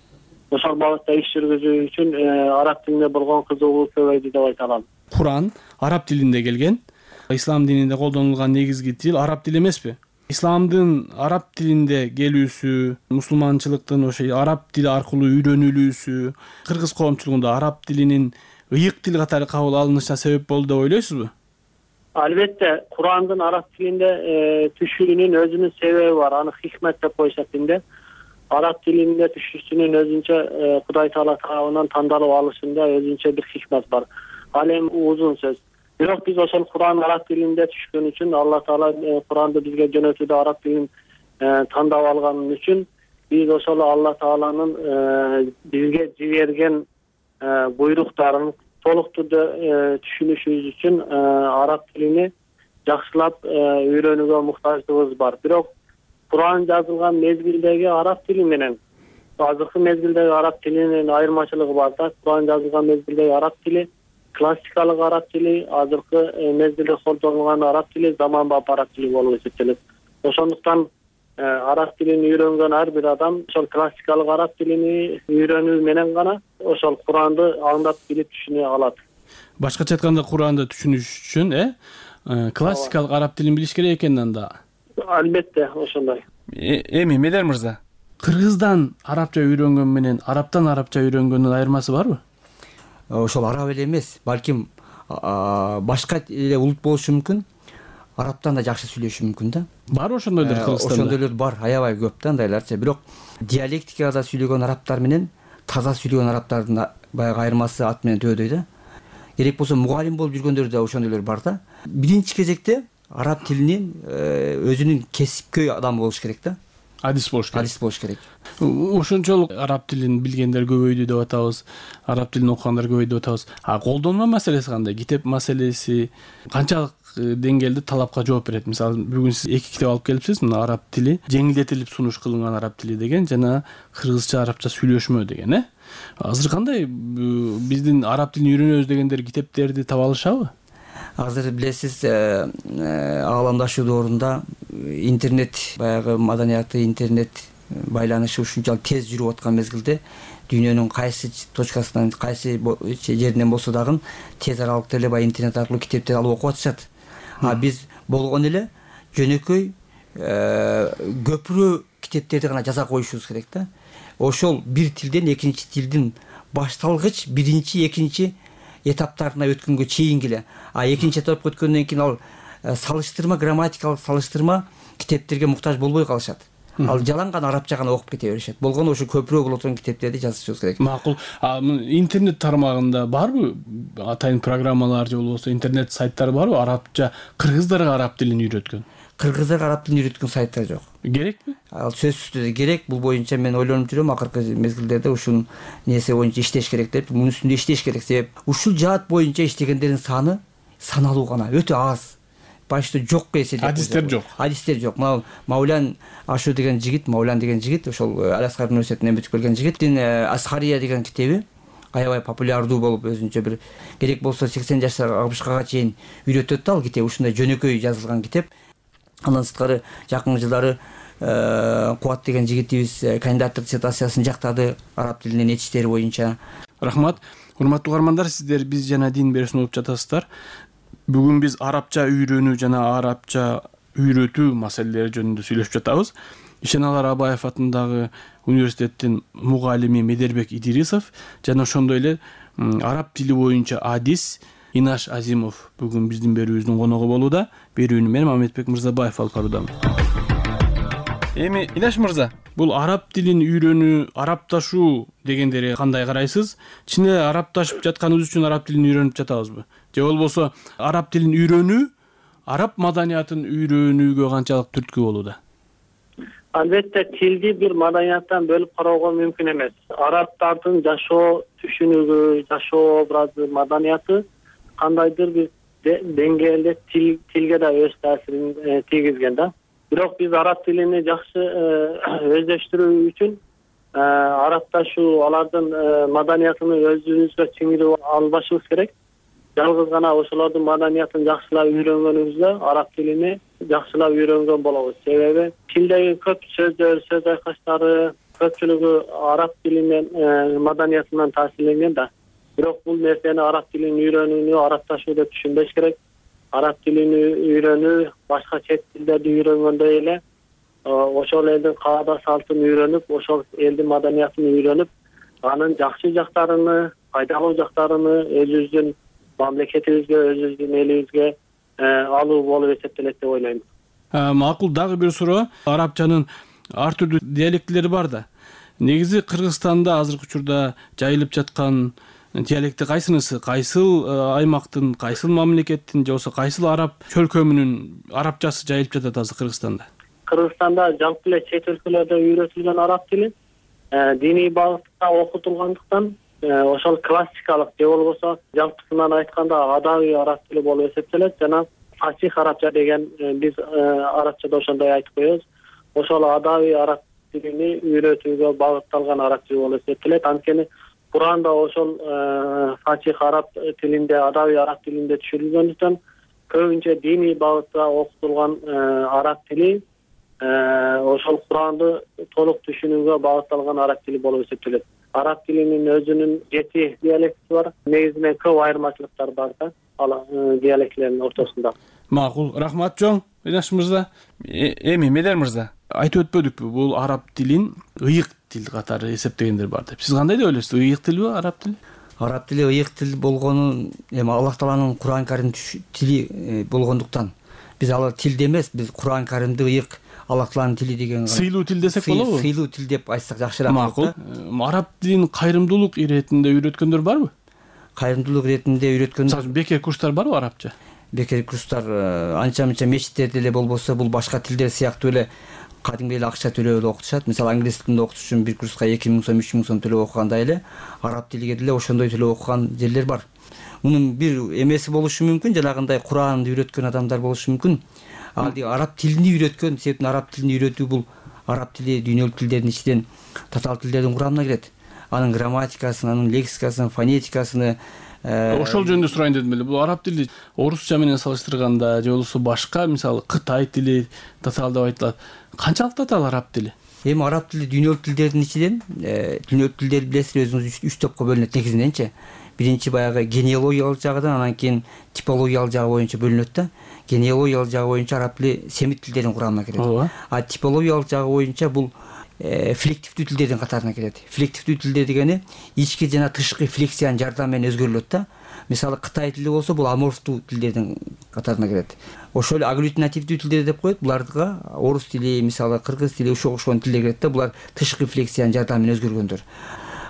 ошол багытта иш жүргүзүү үчүн араб тилине болгон кызыгуу көбөйдү деп айта алам. Куран араб тилинде келген. Ислам дининде колдонулган негизги тил араб тили эмеспи? Исламдын араб тилинде келүүсү, мусулманчылыктын ошо араб тили аркылуу үйрөнүлүүсү, кыргыз коомчулугунда араб тилинин ыйык тил катары кабыл алынышына себеп болду деп ойлойсузбу? Албетте, Курандын араб тилинде түшүүнүн өзүнүн себеби бар. Аны хикмет деп коюшат динде. Араб тилинде түшүүсүнүн өзүнчө Кудай Таала тарабынан тандалып алышында өзүнчө бир хикмет бар. Ал эми узун сөз. Бирок биз ошол Куран араб тилинде түшкөн үчүн, Алла Таала Куранды бизге жөнөтүүдө араб тилин тандап алган үчүн биз ошол Алла Тааланын бизге жиберген буйруктарын толук түрдө түшүнүшүбүз үчүн араб тилини жакшылап үйрөнүүгө муктаждыгыбыз бар. Бирок Куран жазылган мезгилдеги араб тили менен азыркы мезгилдеги араб тилинин айырмачылыгы бар да. Куран жазылган мезгилдеги араб тили классикалык араб тили, азыркы мезгилде колдонулган араб тили заманбап араб тили болуп эсептелет. Ошондуктан араб тилин үйрөнгөн ар бир адам ошол классикалык араб тилини үйрөнүү менен гана ошол Куранды аңдап билип түшүнө алат. Башкача айтканда, Куранды түшүнүш үчүн э классикалык араб тилин билиш керек экен анда. Албетте, ошондой. Эми Медер мырза, кыргыздан арабча үйрөнгөн менен арабтан арабча үйрөнгөндүн айырмасы барбы? Ошол араб эле эмес, балким башка эле улут болушу мүмкүн. Арабтан да жакшы сүйлөшү мүмкүн да. Бар ошондойлор Кыргызстанда? Ошондойлор бар, аябай көп да андайларча. Бирок диалектикада сүйлөгөн арабтар менен таза сүйлөгөн арабтардын баягы айырмасы ат менен төбөдөй да. Керек болсо мугалим болуп жүргөндөр да ошондойлор бар да. Биринчи кезекте араб тилинин өзүнүн кесипкөй адамы болуш керек да. Адис болуш керек. Адис болуш керек. Ошончолук араб тилин билгендер көбөйдү деп атабыз. Араб тилин окугандар көбөйдү деп атабыз. А колдонма маселеси кандай? Китеп маселеси канчалык деңгээлде талапка жооп берет? Мисалы, бүгүн сиз эки китеп алып келипсиз. Мына араб тили, жеңилдетилип сунуш кылынган араб тили деген жана кыргызча, арабча сүйлөшмө деген, э? Азыр кандай биздин араб тилин үйрөнөбүз дегендер китептерди таба алышабы? Азыр билесиз, ааламдашуу доорунда интернет баягы маданияты, интернет байланышы ушунчалык тез жүрүп аткан мезгилде дүйнөнүн кайсы точкасынан, кайсы жеринен болсо дагы тез аралыкта эле баягы интернет аркылуу китептерди алып окуп атышат. А биз болгон эле жөнөкөй көпүрө китептерди гана жаза коюшубуз керек да. Ошол бир тилден экинчи тилдин башталгыч биринчи, экинчи этаптарына өткөнгө чейинки эле. А экинчи этапка өткөндөн кийин ал салыштырма, грамматикалык салыштырма китептерге муктаж болбой калышат. Ал жалаң гана арабча гана окуп кете беришет. Болгону ошо көпүрө боло турган китептерди жазышыбыз керек. Макул. Интернет тармагында барбы атайын программалар же болбосо интернет сайттар барбы арабча кыргыздарга араб тилин үйрөткөн? Кыргыздарга араб тилин үйрөткөн сайттар жок. Керекпи? Ал сөзсүз түрдө керек. Бул боюнча мен ойлонуп жүрөм, акыркы мезгилдерде ушул нерсе боюнча иштеш керек деп, мунун үстүндө иштеш керек. Себеп ушул жаат боюнча иштегендердин саны саналуу гана, өтө аз. Башта жокко эсептеп. Адистер жок. Адистер жок. Мына Маулян Ашу деген жигит, Маулян деген жигит, ошол Аласкар университетинен бүтүп келген жигиттин Асхария деген китеби аябай популярдуу болуп, өзүнчө бир керек болсо сексен жаштар алпышка чейин үйрөтөт да ал китеп. Ушундай жөнөкөй жазылган китеп. Андан сырткары жакын жылдары Кубат деген жигитибиз кандидаттык диссертациясын жактады араб тилинен этиштери боюнча. Рахмат. Урматтуу угармандар, сиздер Биз жана дин берүүсүн угуп жатасыздар. Бүгүн биз арабча үйрөнүү жана арабча үйрөтүү маселелери жөнүндө сүйлөшүп жатабыз. Ишеналар Абаев атындагы университеттин мугалими Медербек Идирисов жана ошондой эле араб тили боюнча адис Инаш Азимов бүгүн биздин берүүбүздүн коногу болууда. Берүүнү мен Мамедбек Мырзабаев алып баруудамын. Эми Инаш мырза, бул араб тилин үйрөнүү, арабташуу дегендерге кандай карайсыз? Чын эле арабташып жатканыбыз үчүн араб тилин үйрөнүп жатабызбы? Же болбосо араб тилин үйрөнүү араб маданиятын үйрөнүүгө канчалык түрткү болууда? Албетте тилди бир маданияттан бөлүп кароого мүмкүн эмес. Арабтардын жашоо түшүнүгү, жашоо образы, маданияты кандайдыр бир деңгээлде тилге да өз таасирин тийгизген да. Бирок биз араб тилини жакшы өздөштүрүү үчүн арабташуу, алардын маданиятын өзүбүзгө сиңирип албашыбыз керек. Жалгыз гана ошолордун маданиятын жакшылап үйрөнгөнүбүздө араб тилини жакшылап үйрөнгөн болобуз. Себеби тилдеги көп сөздөр, сөз айкаштары көпчүлүгү араб тилинен, маданиятынан таасирленген да. Бирок бул нерсени араб тилин үйрөнүүнү арабташуу деп түшүнбөш керек. Араб тилин үйрөнүү башка чет тилдерди үйрөнгөндөй эле ошол элдин каада салтын үйрөнүп, ошол элдин маданиятын үйрөнүп, анын жакшы жактарыны, пайдалуу жактарыны өзүбүздүн мамлекетибизге, өзүбүздүн элибизге алуу болуп эсептелет деп ойлойм. Макул, дагы бир суроо. Арабчанын ар түрдүү диалектилери бар да. Негизи Кыргызстанда азыркы учурда жайылып жаткан диалекти кайсынысы? Кайсыл аймактын, кайсыл мамлекеттин же болбосо кайсыл араб чөлкөмүнүн арабчасы жайылып жатат азыр Кыргызстанда? Кыргызстанда жалпы эле чет өлкөлөрдө үйрөтүлгөн араб тили диний багытта окутулгандыктан ошол классикалык же болбосо жалпысынан айтканда адабий араб тили болуп эсептелет жана фасих арабча деген биз арабчада ошондой айтып коебуз. Ошол адабий араб тилини үйрөтүүгө багытталган араб тили болуп эсептелет. Анткени Куранда ошол фасих араб тилинде, адабий араб тилинде түшүрүлгөндүктөн көбүнчө диний багытта окутулган араб тили ошол Куранды толук түшүнүүгө багытталган араб тили болуп эсептелет. Араб тилинин өзүнүн жети диалекти бар. Негизинен көп айырмачылыктар бар да ал диалектилердин ортосунда. Макул, рахмат чоң Инаш мырза. Эми Медер мырза, айтып өтпөдүкпү, бул араб тилин ыйык тил катары эсептегендер бар деп. Сиз кандай деп ойлойсуз? Ыйык тилби араб тили? Араб тили ыйык тил болгону эми Аллах Тааланын Куран Карим тили болгондуктан биз ал тилде эмес, биз Куран Каримди ыйык Аллах Тааланын тили деген сыйлуу тил десек болобу? Сыйлуу тил деп айтсак жакшыраак. Макул. Араб тилин кайрымдуулук иретинде үйрөткөндөр барбы? Кайрымдуулук иретинде үйрөткөндөр. Бекер курстар барбы арабча? бекер курстар анча мынча мечиттерде эле болбосо бул башка тилдер сыяктуу эле кадимки эле акча төлөп эле окутушат. Мисалы англис тилинде окутуш үчүн бир курска эки миң сом, үч миң сом төлөп окугандай эле араб тилиге деле ошондой төлөп окуган жерлер бар. Мунун бир эмеси болушу мүмкүн, жанагындай Куранды үйрөткөн адамдар болушу мүмкүн. Ал араб тилин үйрөткөн, себептен араб тилин үйрөтүү бул араб тили дүйнөлүк тилдердин ичинен татаал тилдердин курамына кирет. Анын грамматикасын, анын лексикасын, фонетикасын ошол жөнүндө сурайын дедим эле. Бул араб тили орусча менен салыштырганда же болбосо башка, мисалы Кытай тили татаал деп айтылат. Канчалык татаал араб тили? Эми араб тили дүйнөлүк тилдердин ичинен, дүйнөлүк тилдер билесиз өзүңүз үч топко бөлүнөт негизиненчи. Биринчи баягы генеалогиялык жагынан, анан кийин типологиялык жагы боюнча бөлүнөт да. Генеалогиялык жагы боюнча араб тили семит тилдердин курамына кирет. А типологиялык жагы боюнча бул флективдүү тилдердин катарына кирет. Флективдүү тилдер дегени ички жана тышкы флексиянын жардамы менен өзгөрүлөт да. Мисалы Кытай тили болсо бул аморфтуу тилдердин катарына кирет. Ошол эле агглютинативдүү тилдер деп коет. Буларга орус тили, мисалы кыргыз тили ошого окшогон тилдер кирет да. Булар тышкы флексиянын жардамы менен өзгөргөндөр.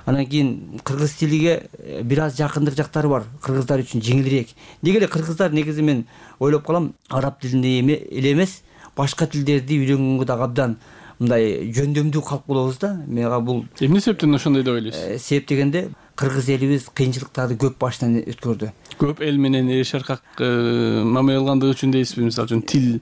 Анан кийин кыргыз тилиге бир аз жакындык жактары бар. Кыргыздар үчүн жеңилирээк. Неге эле кыргыздар негизи мен ойлоп калам, араб тилинде эле эмес, башка тилдерди үйрөнгөнгө да абдан мындай жөндөмдүү калп болобуз да. Мага бул эмне себептен ошондой деп ойлойсуз? Себеп дегенде кыргыз элибиз кыйынчылыктарды көп баштан өткөрдү. Көп эл менен эш аркак мамиле кылгандыгы үчүн дейсизби, мисалы үчүн тил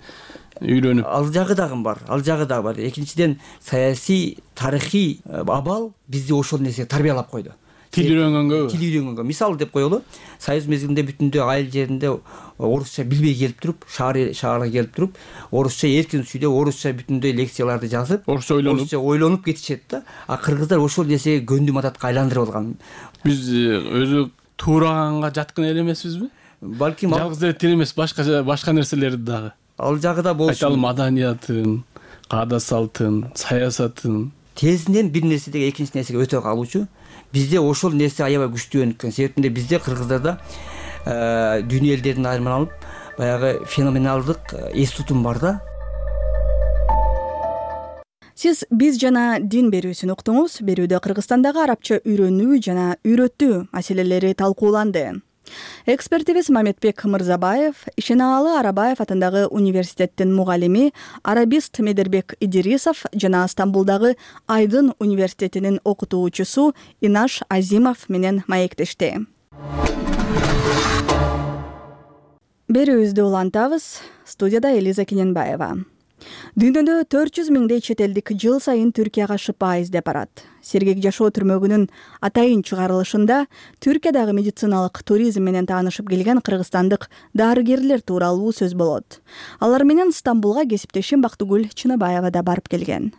үйрөнүп? Ал жагы дагы бар, ал жагы дагы бар. Экинчиден саясий, тарыхый абал бизди ошол нерсеге тарбиялап койду. Тил үйрөнгөнгө? Тил үйрөнгөнгө. Мисалы деп коелу, Союз мезгилинде бүтүндөй айыл жеринде орусча билбей келип туруп, шаар шаарга келип туруп, орусча эркин сүйлөп, орусча бүтүндөй лекцияларды жазып, орусча ойлонуп, орусча ойлонуп кетишет да. А кыргыздар ошол нерсеге көндүм адатка айландырып алган. Биз өзү туураганга жаткын эл эмеспизби? Балким жалгыз эле тил эмес, башка башка нерселерди дагы. Ал жагы да болушу. Айталы маданиятын, каада салтын, саясатын. Тезинен бир нерседеги экинчи нерсеге өтө калуучу. Бизде ошол нерсе аябай күчтүү. Себептен бизде кыргыздарда дүйнө элдердин айырманы алып, баягы феноменалдык эс тутум бар да. Сиз биз жана дин берүүсүн уктуңуз. Берүүдө Кыргызстандагы арабча үйрөнүү жана үйрөтүү маселелери талкууланды. Экспертибиз Маметбек Мырзабаев, Ишеналы Арабаев атындагы университеттин мугалими арабист Медербек Идирисов жана Стамбулдагы Айдын университетинин окутуучусу Инаш Азимов менен маектешти. Берүүбүздү улантабыз. Студияда Элиза Кененбаева. Дүйнөдө төрт жүз миңдей чет элдик жыл сайын Түркияга шыпа издеп барат. Сергек жашоо түрмөгүнүн атайын чыгарылышында Түркиядагы медициналык туризм менен таанышып келген кыргызстандык дарыгерлер тууралуу сөз болот. Алар менен Стамбулга кесиптешим Бактыгүл Чыныбаева да барып келген.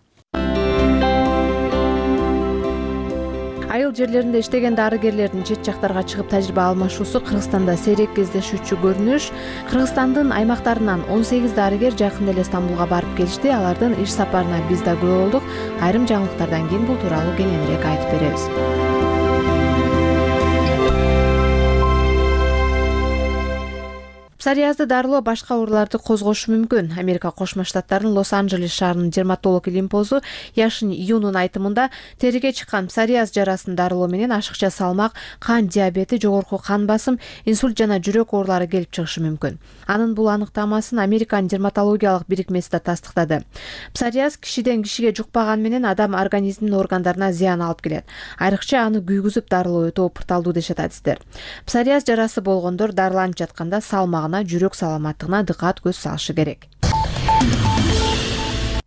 Айыл жерлеринде иштеген дарыгерлердин чет жактарга чыгып тажрыйба алмашуусу Кыргызстанда сейрек кездешүүчү көрүнүш. Кыргызстандын аймактарынан он сегиз дарыгер жакында эле Стамбулга барып келишти. Алардын иш сапарына биз да күбө болдук. Айрым жаңылыктардан кийин бул тууралуу кененирээк айтып беребиз. Псориазды дарылоо башка ооруларды козгошу мүмкүн. Америка Кошмо Штаттарынын Лос-Анджелес шаарынын дерматолог Илимпозу Яшин Юнун айтымында териге чыккан псориаз жарасын дарылоо менен ашыкча салмак, кан диабети, жогорку кан басым, инсульт жана жүрөк оорулары келип чыгышы мүмкүн. Анын бул аныктамасын Американын дерматологиялык бирикмеси да тастыктады. Псориаз кишиден кишиге жукпаган менен адам организминин органдарына зыян алып келет. Айрыкча аны күйгүзүп дарылоо өтө опурталдуу дешет адистер. Псориаз жарасы болгондор дарыланып жатканда салмагына, жүрөк саламаттыгына дыкат көз салышы керек.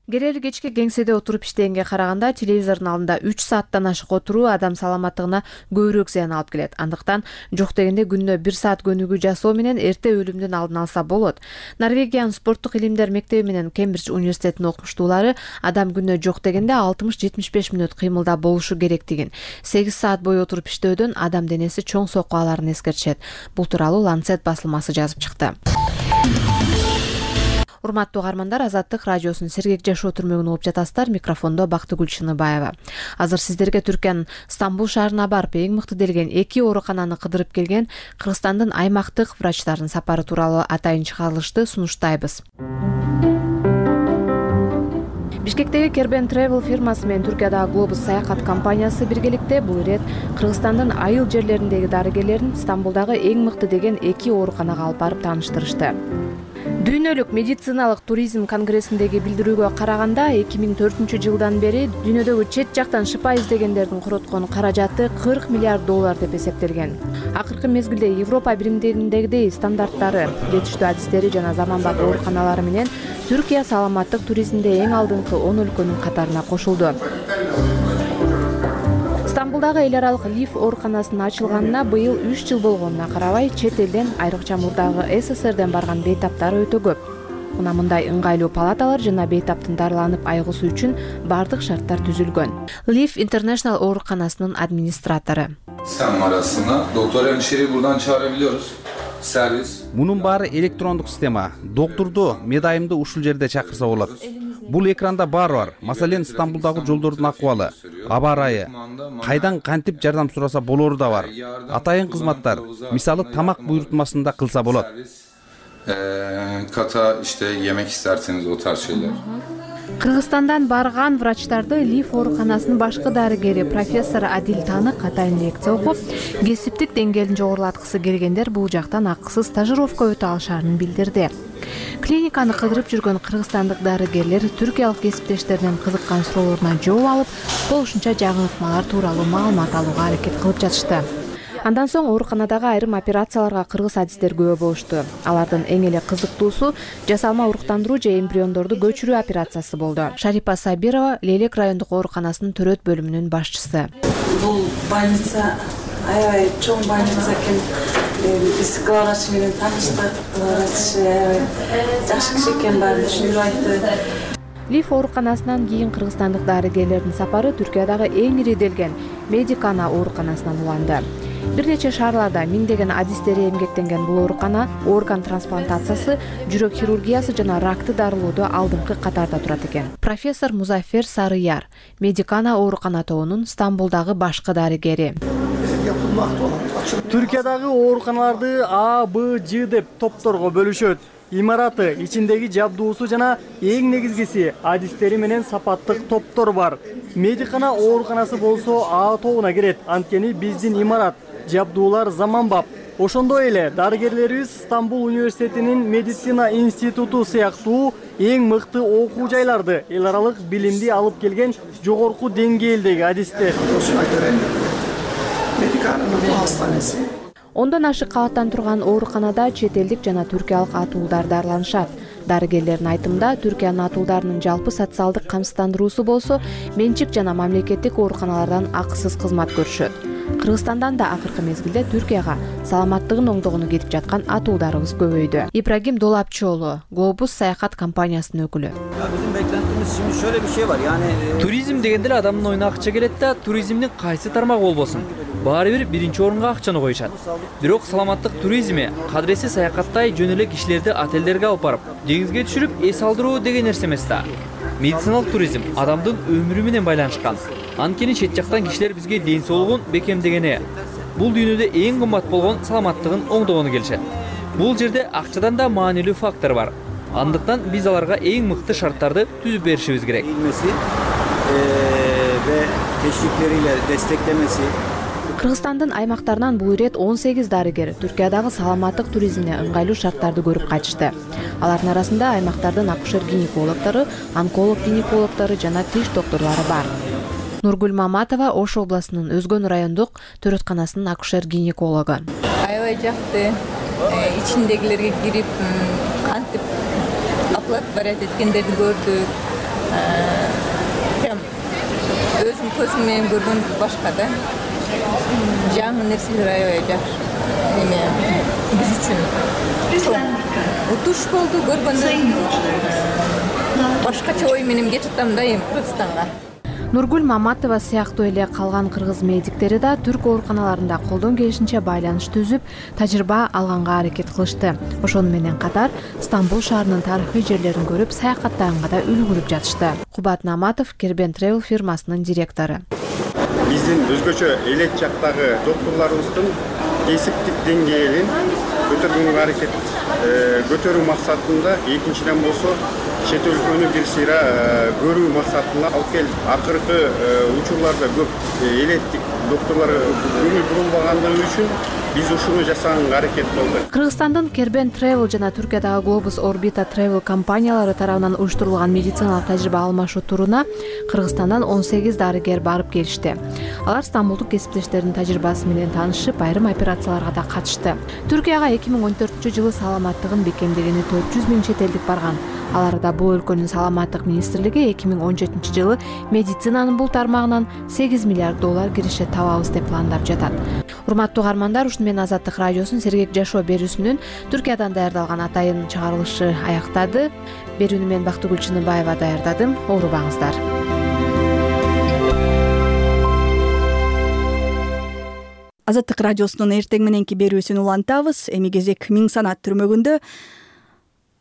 Керели кечке кеңседе отуруп иштегенге караганда телевизордун алдында үч сааттан ашык отуруу адам саламаттыгына көбүрөөк зыян алып келет. Андыктан жок дегенде күнүнө бир саат көнүгүү жасоо менен эрте өлүмдүн алдын алса болот. Норвегиянын спорттук илимдер мектеби менен Кембридж университетинин окумуштуулары адам күнүнө жок дегенде алтымыш жетимиш беш мүнөт кыймылда болушу керектигин, сегиз саат бою отуруп иштөөдөн адам денеси чоң сокку аларын эскертишет. Бул тууралуу Lancet басылмасы жазып чыкты. Урматтуу угармандар, Азаттык радиосунун Сергек жашоо түрмөгүнө угуп жатасыздар. Микрофондо Бактыгүл Чыныбаева. Азыр сиздерге Түркиянын Стамбул шаарына барып эң мыкты делген эки оорукананы кыдырып келген Кыргызстандын аймактык врачтарынын сапары тууралуу атайын чыгарылышты сунуштайбыз. Бишкектеги Кербен Travel фирмасы менен Түркиядагы Globus саякат компаниясы биргеликте бул ирет Кыргызстандын айыл жерлериндеги дарыгерлерин Стамбулдагы эң мыкты деген эки ооруканага алып барып тааныштырышты. Дүйнөлүк медициналык туризм конгрессиндеги билдирүүгө караганда эки миң төртүнчү жылдан бери дүйнөдөгү чет жактан шыпа издегендердин короткон каражаты кырк миллиард доллар деп эсептелген. Акыркы мезгилде Европа биримдигиндегидей стандарттары, жетиштүү адистери жана заманбап ооруканалары менен Түркия саламаттык туризмде эң алдыңкы он өлкөнүн катарына кошулду. Стамбулдагы эл аралык Лиф ооруканасынын ачылганына быйыл үч жыл болгонуна карабай, чет элден, айрыкча мурдагы СССРден барган бейтаптар өтө көп. Мына мындай ыңгайлуу палаталар жана бейтаптын дарыланып айыгуусу үчүн бардык шарттар түзүлгөн. Лиф International ооруканасынын администратору. Sistem arasına doktor hemşireyi buradan çağırabiliyoruz. Servis. Мунун баары электрондук система. Доктурду, медайымды ушул жерде чакырса болот. Бул экранда баары бар. Маселен, Стамбулдагы жолдордун акыбалы, аба ырайы, кайдан кантип жардам сураса болору да бар. Атайын кызматтар, мисалы тамак буйрутмасында кылса болот. Kata işte yemek isterseniz o tarz şeyler. Кыргызстандан барган врачтарды Лиф ооруканасынын башкы дарыгери профессор Адил Танык атайын лекция окуп, кесиптик деңгээлин жогорулаткысы келгендер бул жактан акысыз стажировка өтө алышарын билдирди. Клиниканы кыдырып жүргөн кыргызстандык дарыгерлер түркиялык кесиптештеринин кызыккан суроолоруна жооп алып, болушунча жаңы ыкмалар тууралуу маалымат алууга аракет кылып жатышты. Андан соң ооруканадагы айрым операцияларга кыргыз адистер күбө болушту. Алардын эң эле кызыктуусу жасалма уруктандыруу же эмбриондорду көчүрүү операциясы болду. Шарипа Сабирова Лелек райондук ооруканасынын төрөт бөлүмүнүн башчысы. Бул больница аябай чоң больница экен. Биз главврач менен тааныштык. Главврач жакшы киши экен, баарын түшүндүрүп айтты. Лиф ооруканасынан кийин кыргызстандык дарыгерлердин сапары Түркиядагы эң ири делген Медикана ооруканасынан уланды. Бир нече шаарларда миңдеген адистери эмгектенген бул оорукана орган трансплантациясы, жүрөк хирургиясы жана ракты дарылоодо алдыңкы катарда турат экен. Профессор Музафер Сарыяр, Медикана оорукана тобунун Стамбулдагы башкы дарыгери. Түркиядагы ооруканаларды А, Б, Ж деп топторго бөлүшөт. Имараты, ичиндеги жабдуусу жана эң негизгиси адистери менен сапаттык топтор бар. Медикана ооруканасы болсо А тобуна кирет. Анткени биздин имарат, жабдуулар заманбап. Ошондой эле дарыгерлерибиз Стамбул университетинин медицина институту сыяктуу эң мыкты окуу жайларды, эл аралык билимди алып келген жогорку деңгээлдеги адистер. Ондон ашык кабаттан турган ооруканада чет элдик жана түркиялык атуулдар дарыланышат. Дарыгерлердин айтымында Түркиянын атуулдарынын жалпы социалдык камсыздандыруусу болсо, менчик жана мамлекеттик ооруканалардан акысыз кызмат көрүшөт. Кыргызстандан да акыркы мезгилде Түркияга саламаттыгын оңдогону кетип жаткан атуулдарыбыз көбөйдү. Ибрагим Долапчоолу, Globus саякат компаниясынын өкүлү. Bizim beklentimiz şimdi şöyle bir şey var. Yani туризм дегенде эле адамдын оюна акча келет да, туризмдин кайсы тармагы болбосун, баары бир биринчи орунга акчаны коюшат. Бирок саламаттык туризми кадыресиз саякаттай жөн эле кишилерди отелдерге алып барып, деңизге түшүрүп эс алдыруу деген нерсе эмес да. Медициналык туризм адамдын өмүрү менен байланышкан. Анткени чет жактан кишилер бизге ден соолугун бекемдегени, бул дүйнөдө эң кымбат болгон саламаттыгын оңдогону келишет. Бул жерде акчадан да маанилүү фактор бар. Андыктан биз аларга эң мыкты шарттарды түзүп беришибиз керек. Ve teşvikleriyle desteklemesi. Кыргызстандын аймактарынан бул ирет он сегиз дарыгер Түркиядагы саламаттык туризмине ыңгайлуу шарттарды көрүп кайтышты. Алардын арасында аймактардын акушер-гинекологдору, онколог-гинекологдору жана тиш докторлору бар. Нургүл Маматова Ош областынын Өзгөн райондук төрөтканасынын акушер-гинекологу. Аябай жакты, ичиндегилерге кирип, кантип оплата барат эткендерди көрдүк. Прям өзүм көзүм менен көргөн башка да. Жаңы нерселер аябай жакшы. Эме биз үчүн утуш болду көргөндөн. Башкача ой менен кетип атам да эми Кыргызстанга. Нургүл Маматова сыяктуу эле калган кыргыз медиктери да түрк ооруканаларында колдон келишинче байланыш түзүп, тажрыйба алганга аракет кылышты. Ошону менен катар Стамбул шаарынын тарыхый жерлерин көрүп, саякаттаганга да үлгүрүп жатышты. Кубат Наматов Кербен Travel фирмасынын директору. Биздин өзгөчө элет жактагы докторлорубуздун кесиптик деңгээлин көтөргөнгө аракет көтөрүү максатында, экинчиден болсо чет өлкөнү бир сыйра көрүү максатында алып келип, акыркы учурларда көп элеттик докторлор көңүл бурулбагандыгы үчүн биз ушуну жасаганга аракет кылдык. Кыргызстандын Кербен Travel жана Түркиядагы Globus Orbita Travel компаниялары тарабынан уюштурулган медициналык тажрыйба алмашуу туруна Кыргызстандан он сегиз дарыгер барып келишти. Алар стамбулдук кесиптештердин тажрыйбасы менен таанышып, айрым операцияларга да катышты. Түркияга эки миң он төртүнчү жылы саламаттыгын бекемдегени төрт жүз миң чет элдик барган. Алар арада бул өлкөнүн саламаттык министрлиги эки миң он жетинчи жылы медицинанын бул тармагынан сегиз миллиард доллар киреше табабыз деп пландап жатат. Урматтуу угармандар, ушуну менен Азаттык радиосунун Сергек жашоо берүүсүнүн Түркиядан даярдалган атайын чыгарылышы аяктады. Берүүнү мен Бактыгүл Чыныбаева даярдадым. Оорубаңыздар. Азаттык радиосунун эртең мененки берүүсүн улантабыз. Эми кезек Миң санат түрмөгүндө.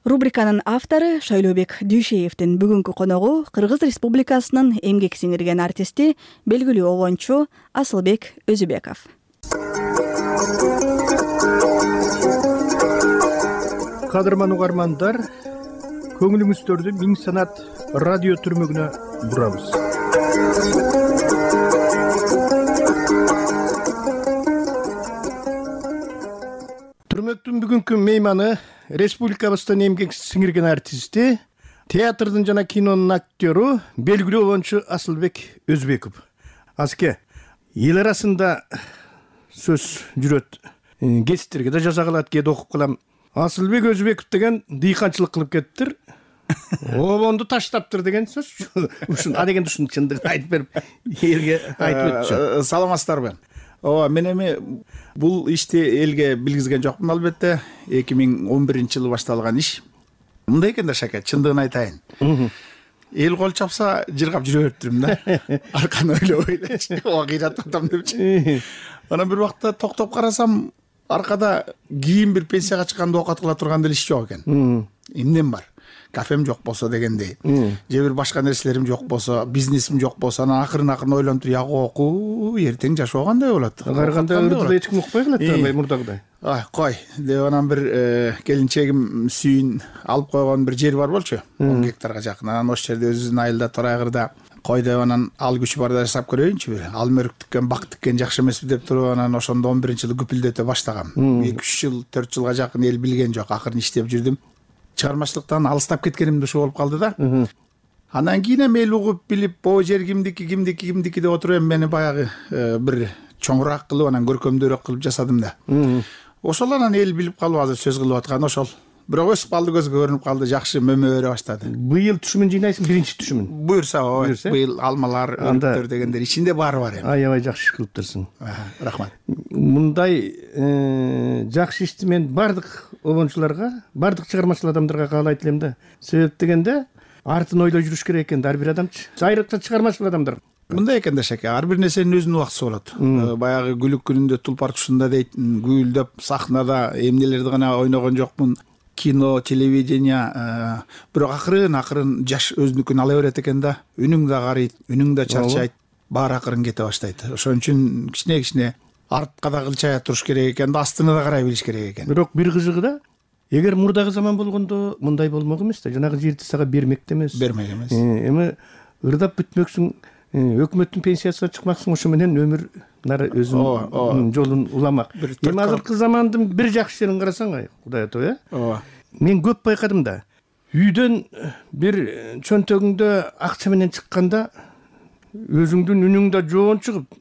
Рубриканын автору Шайлообек Дүйшеевдин бүгүнкү коногу Кыргыз Республикасынын эмгек сиңирген артисти, белгилүү обончу Асылбек Өзүбеков. Кадырман угармандар, көңүлүңүздөрдү Миң санат радио түрмөгүнө бурабыз. Түрмөктүн бүгүнкү мейманы республикабыздын эмгек сиңирген артисти, театрдын жана кинонун актеру, белгилүү обончу Асылбек Өзүбеков. Аске, эл арасында сөз жүрөт. Гезиттерге да жаза калат, кээде окуп калам. Асылбек Өзүбеков деген дыйканчылык кылып кеттир. Обонду таштаптыр деген сөз. Ушун а деген ушунун чындыгын айтып берип, элге айтып өтчү. Саламатсыздарбы? Ооба, мен эми бул ишти элге билгизген жокмун албетте. эки миң он биринчи жылы башталган иш. Мындай экен да, Шаке, чындыгын айтайын. Эл кол чапса жыргап жүрө бериптирмин да. Арканы ойлобой элечи, ооба кыйратып атам депчи. Анан бир убакта токтоп карасам, аркада кийин бир пенсияга чыкканда оокат кыла турган деле иш жок экен. Эмнем бар? Кафем жок болсо дегендей, же бир башка нерселерим жок болсо, бизнесим жок болсо, анан акырын акырын ойлонуп туруп, яг окуу, эртең жашоо кандай болот? Караганда ырдыда эч ким укпай калат да, мурдагыдай. Ай, кой, деп анан бир келинчегим сүйүн алып койгон бир жер бар болчу, он гектарга жакын. Анан ошол жерде өзүнүн айылда Торайгырда кой деп анан ал күчү барда жасап көрөйүнчү бир. Ал мөрүк тиккен, бак тиккен жакшы эмеспи деп туруп анан ошондо он биринчи жылы күпүлдөтө баштагам. эки үч жыл, төрт жылга жакын эл билген жок, акырын иштеп жүрдүм. Чыгармачылыктан алыстап кеткеним ушу болуп калды да. Анан кийин эми эл угуп билип, бо жер кимдики, кимдики, кимдики деп отуруп эми мени баягы бир чоңураак кылып, анан көркөмдүүрөөк кылып жасадым да. Ошол анан эл билип калып азыр сөз кылып аткан ошол. Бирок өсүп калды, көзгө көрүнүп калды, жакшы мөмө бере баштады. Быйыл түшүмүн жыйнайсың, биринчи түшүмүн. Буюрса, ооба, быйыл алмалар, өрүктөр дегендер ичинде баары бар эми. Аябай жакшы иш кылыптырсың. Рахмат. Мындай жакшы ишти мен бардык обончуларга, бардык чыгармачыл адамдарга каалайт элем да. Себеп дегенде артын ойлой жүрүш керек экен ар бир адамчы. Айрыкча чыгармачыл адамдар. Мындай экен да, Шаке, ар бир нерсенин өзүнүн убактысы болот. Баягы гүлүк күнүндө тулпар тушунда дейт, гүйлдөп сахнада эмнелерди гана ойногон жокмун. Кино, телевидение, бирок акырын акырын жаш өзүнүкүн ала берет экен да. Үнүң да карыйт, үнүң да чарчайт, баары акырын кете баштайт. Ошон үчүн кичине кичине артка да кылчая туруш керек экен да, астына да карай билиш керек экен. Бирок бир кызыгы да, эгер мурдагы заман болгондо мындай болмок эмес да, жанагы жерди сага бермек да эмес. Бермек эмес. Эми ырдап бүтмөксүң, өкмөттүн пенсиясына чыкмаксың, ошо менен өмүр нары өзүнүн жолун уламак. Эми азыркы замандын бир жакшы жерин карасаң, Кудай ато, э? Ооба. Мен көп байкадым да. Үйдөн бир чөнтөгүңдө акча менен чыкканда өзүңдүн үнүң да жоон чыгып,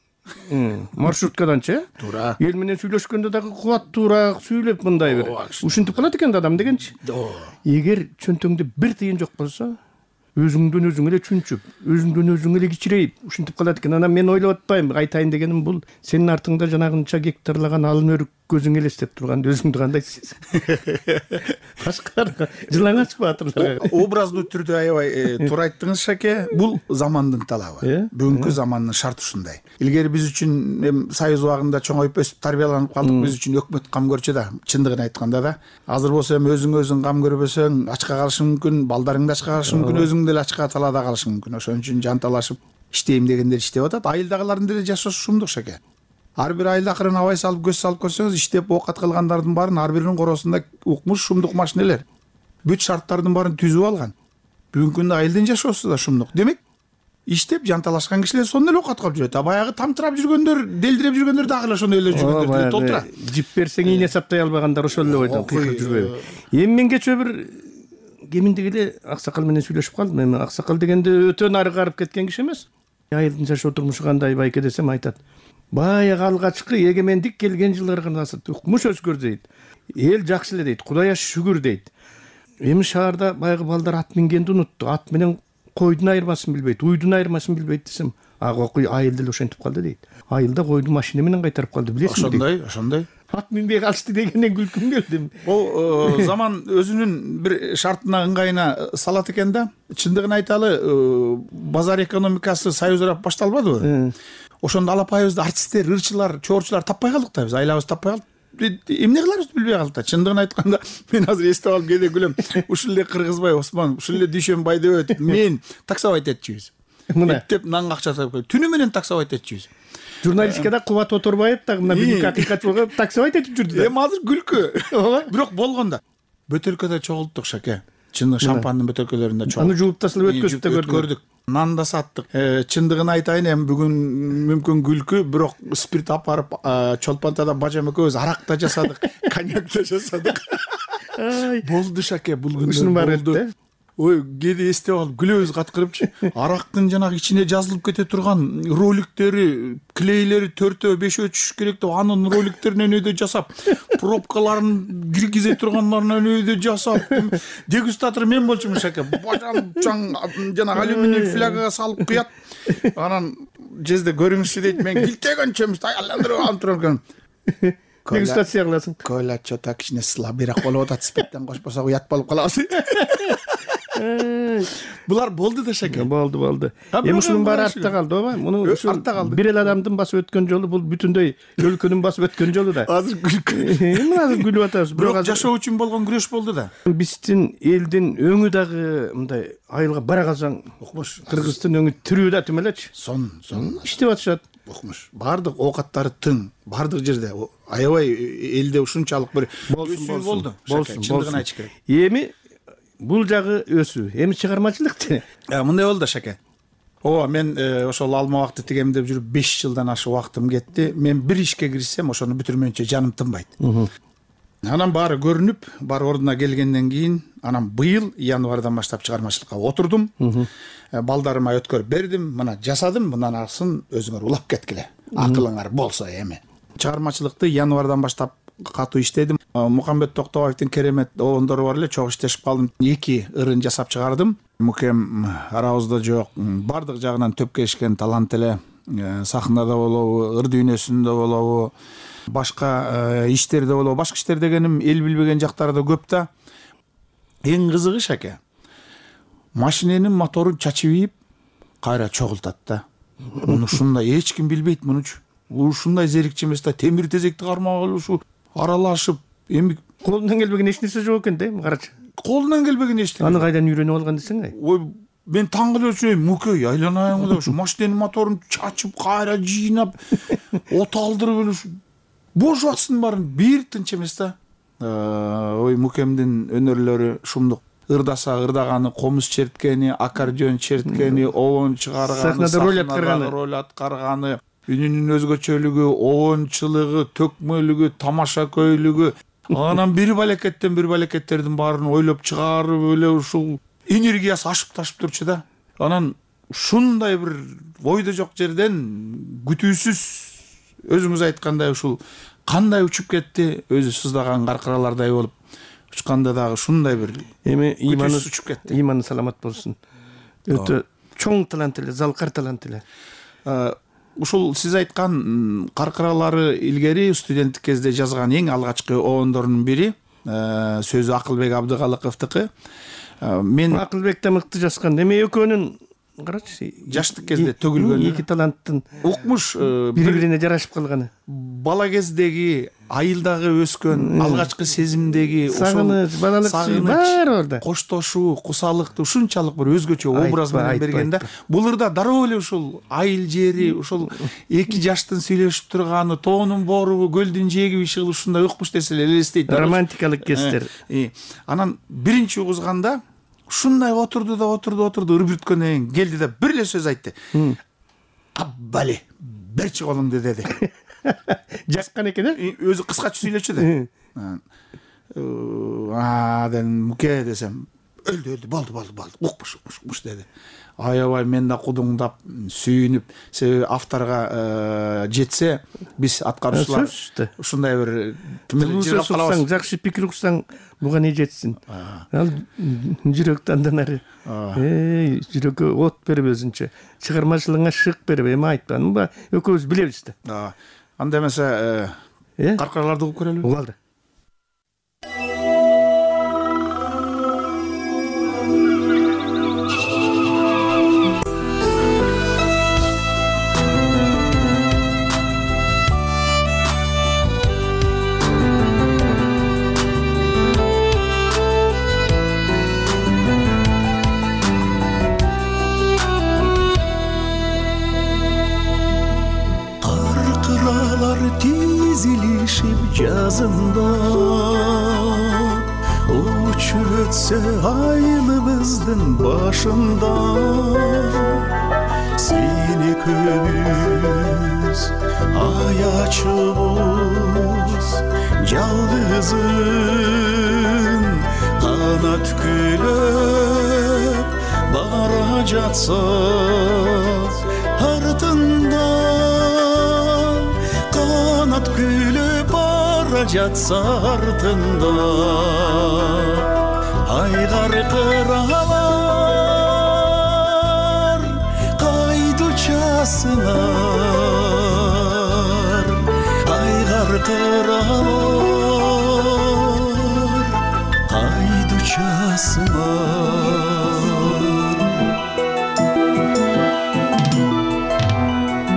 маршруткаданчы, туура. Эл менен сүйлөшкөндө дагы кубаттуураак сүйлөп мындай бир ушинтип калат экен да адам дегенчи. Эгер чөнтөгүңдө бир тыйын жок болсо, өзүңдөн өзүң эле чүнчүп, өзүңдөн өзүң эле кичирейип, ушинтип калат экен. Анан мен ойлоп атпайм, айтайын дегеним бул сенин артыңда жанагынча гектарлаган алым өрүк көзүң элестеп турганда өзүңдү кандай сезесиң? Башкаларга жылаңачпы батырларга? Образдуу түрдө аябай туура айттыңыз, Шаке. Бул замандын талабы. Бүгүнкү замандын шарты ушундай. Илгери биз үчүн эми Союз убагында чоңоюп өсүп тарбияланып калдык, биз үчүн өкмөт кам көрчү да, чындыгын айтканда да. Азыр болсо эми өзүң өзүң кам көрбөсөң, ачка калышың мүмкүн, балдарың да ачка калышы мүмкүн, өзүң деле ачка талаада калышы мүмкүн. Ошон үчүн жанталашып иштейм дегендер иштеп атат. Айылдагылардын деле жашоосу шумдук, Шаке. ар бир айылда акырын абай салып көз салып көрсөңүз, иштеп оокат кылгандардын баарын ар биринин коросунда укмуш шумдук машинелер бүт шарттардын баарын түзүп алган. Бүгүнкү күндө айылдын жашоосу да шумдук. Демек, иштеп жанталашкан кишилер сонун эле оокат кылып жүрөт. А баягы тамтырап жүргөндөр, делдиреп жүргөндөр дагы эле ошондой эле жүргөндөр толтура. Жип берсең ийне саптай албагандар ошол эле бойдон кыйкырып жүрбөйбү? Эми мен кечээ бир кеминдеги эле аксакал менен сүйлөшүп калдым. Эми аксакал дегенде өтө нары карып кеткен киши эмес. Айылдын жашоо турмушу кандай байке десем айтат. Баягы алгачкы эгемендик келген жылдарга укмуш өзгөрдү дейт. Эл жакшы эле дейт. Кудайга шүгүр дейт. Эми шаарда баягы балдар ат мингенди унутту. Ат менен койдун айырмасын билбейт, уйдун айырмасын билбейт десем, ага айылда эле ошентип калды дейт. Айылда койду машина менен кайтарып калды, билесиңби? Ошондой, ошондой. Ат минбей калышты дегенден күлкүм келди. Бул заман өзүнүн бир шартына ыңгайына салат экен да. Чындыгын айталы, базар экономикасы союзурап башталбадыбы? Ошондо алапайыбызды артисттер, ырчылар, чоорчулар таппай калдык да, биз айлабыз таппай калдык. Эмне кыларыбызды билбей калдык да. Чындыгын айтканда, мен азыр эстеп алып кээде күлөм. Ушул эле Кыргызбай Осмон, ушул эле Дүйшөнбай деп мен таксовать этчүбүз. Мына деп нанга акча тапып, түнү менен таксовать этчүбүз. Журналистикада Кубат Оторбаев дагы мына бүгүнкү акыйкат болгон таксовать этип жүрдү да. Эми азыр күлкү. Бирок болгон да. Бөтөлкөдө чогулттук шаке. Чындыгы шампандын бөтөлкөлөрүндө чогулттук. Аны жууп тасалап өткөзүп да көрдүк. Нан да саттык. Чындыгын айтайын, эми бүгүн мүмкүн күлкү, бирок спирт алып барып Чолпонтада бажам экөөбүз арак да жасадык, коньяк да жасадык. Болду шаке, бул күндөр болду. Ой, кээде эстеп алып күлөбүз каткырыпчы. Арактын жанагы ичине жазылып кете турган роликтери, клейлери төртөө, бешөө түшүш керек деп анын роликтеринен өйдө жасап, пробкаларын киргизе тургандарынан өйдө жасап, дегустатор мен болчумун шаке. Бажам чаң жанагы алюминий флягага салып куят. Анан жезде көрүңүзчү дейт, мен килтегенчемиз айландырып алып турган. Дегустация кыласың. Койлачо так кичине слабыйраак болуп атат, спирттен кошпосо уят болуп калабыз. Булар болду да шаке. Болду, болду. Эми ушунун баары артта калды, ооба? Муну артта калды. Бир эле адамдын басып өткөн жолу бул бүтүндөй өлкөнүн басып өткөн жолу да. Азыр күлкү. Эми азыр күлүп атабыз. Бирок жашоо үчүн болгон күрөш болду да. Биздин элдин өңү дагы мындай айылга бара калсаң, укмуш, Кыргыздын өңү тирүү да тим элечи. Сон, сон. Иштеп атышат. Укмуш. Бардык оокаттары тың, бардык жерде. Аябай элде ушунчалык бир өсүү болду. Чындыгын айтыш керек. Эми бул жагы өсүү. Эми чыгармачылыкчы. Мындай болду шаке. Ооба, мен ошол алма убакты тигемдеп жүрүп беш жылдан ашык убактым кетти. Мен бир ишке киришсем, ошону бүтүрмөйүнчө жаным тынбайт. Анан баары көрүнүп, баары ордуна келгенден кийин, анан быйыл январдан баштап чыгармачылыкка отурдум. Балдарыма өткөрүп бердим, мына жасадым, мындан арсын өзүңөр улап кеткиле. Акылыңар болсо эми. Чыгармачылыкты январдан баштап катуу иштедим. Мукамбет Токтобаевдин керемет обондору бар эле, чогуу иштешип калдым. эки ырын жасап чыгардым. Мукем арабызда жок, бардык жагынан төпкө ишкен талант эле. Сахнада болобу, ыр дүйнөсүндө болобу, башка иштерде болобу. Башка иштер дегеним эл билбеген жактары да көп да. Эң кызыгы шаке, машиненин моторун чачып ийип, кайра чогултат да. Муну ушундай эч ким билбейт мунучу. Ушундай зерикчи эмес да, темир тезекти кармап алышып, аралашып, эми колунан келбеген эч нерсе жок экен да, эми карачы. Колунан келбеген эч нерсе. Аны кайдан үйрөнүп алган десең ай? Ой, мен таң калып жүрөм, мукей айланайын деп ушу машиненин моторун чачып, кайра жыйнап, от алдырып эле бош убактын баарын бир тынч эмес да. Ой, мукемдин өнөрлөрү шумдук. Ырдаса ырдаганы, комуз черткени, аккордеон черткени, обон чыгарганы, сахнада роль аткарганы, роль аткарганы, үнүнүн өзгөчөлүгү, обончулугу, төкмөлүгү, тамаша көйлүгү. Анан бир балекеттен бир балекеттердин баарын ойлоп чыгарып эле ушул энергиясы ашып ташып турчу да. Анан ушундай бир ойдо жок жерден күтүүсүз өзүңүз айткандай ушул кандай учуп кетти, өзү сыздаган каркыралардай болуп учканда дагы ушундай бир эми иманы учуп кетти. Иманы саламат болсун. Өтө чоң талант эле, залкар талант эле. Ушул сиз айткан каркыралары илгери студенттик кезде жазган эң алгачкы обондорунун бири, сөзү Акылбек Абдыкалыковдуку. Мен Акылбек да мыкты жазган. Эми экөөнүн карачы, жаштык кезде төгүлгөн эки таланттын укмуш бири бирине жарашып калганы. Бала кездеги, айылдагы өскөн алгачкы сезимдеги сагыныч, балалык сүй баары ордо. Коштошуу, кусалыкты ушунчалык бир өзгөчө образ менен берген да. Буларда дароо эле ушул айыл жери, ушул эки жаштын сүйлөшүп турганы, тоонун боорубу, көлдүн жээги чыгып ушундай укмуш нерселер элестейт. Романтикалык кездер. Анан биринчи угузганда ушундай отурду да отурду отурду үрбүткөндөн кийин келди да бир эле сөз айтты. Аббали, берчи колуңду деди. Жазган экен э? Өзү кыскача сүйлөчү да. Аа, дедим, муке десем, өлдү, өлдү, болду, болду, болду. Укмуш, укмуш, укмуш деди. Аябай мен да кудуңдап, сүйүнүп, себеби авторго жетсе, биз аткаруучулар ушундай бир жыргап калабыз. Жакшы пикир уксаң, буга не жетсин? Ал жүрөктү андан ары. Эй, жүрөккө от берип өзүнчө, чыгармачылыгыңа шык берип, эми айтпан. Буга экөөбүз билебиз да. Анда эмесе, каркараларды угуп көрөлү. Угалды. Жазында учуп өтсө айылыбыздын башында сен экөөбүз аячыбыз жалгызын канат күлөп бара жатса артында канат күлөп жатса артында айгар кыралар кайда учасыңар айгар кыралар кайда учасыңар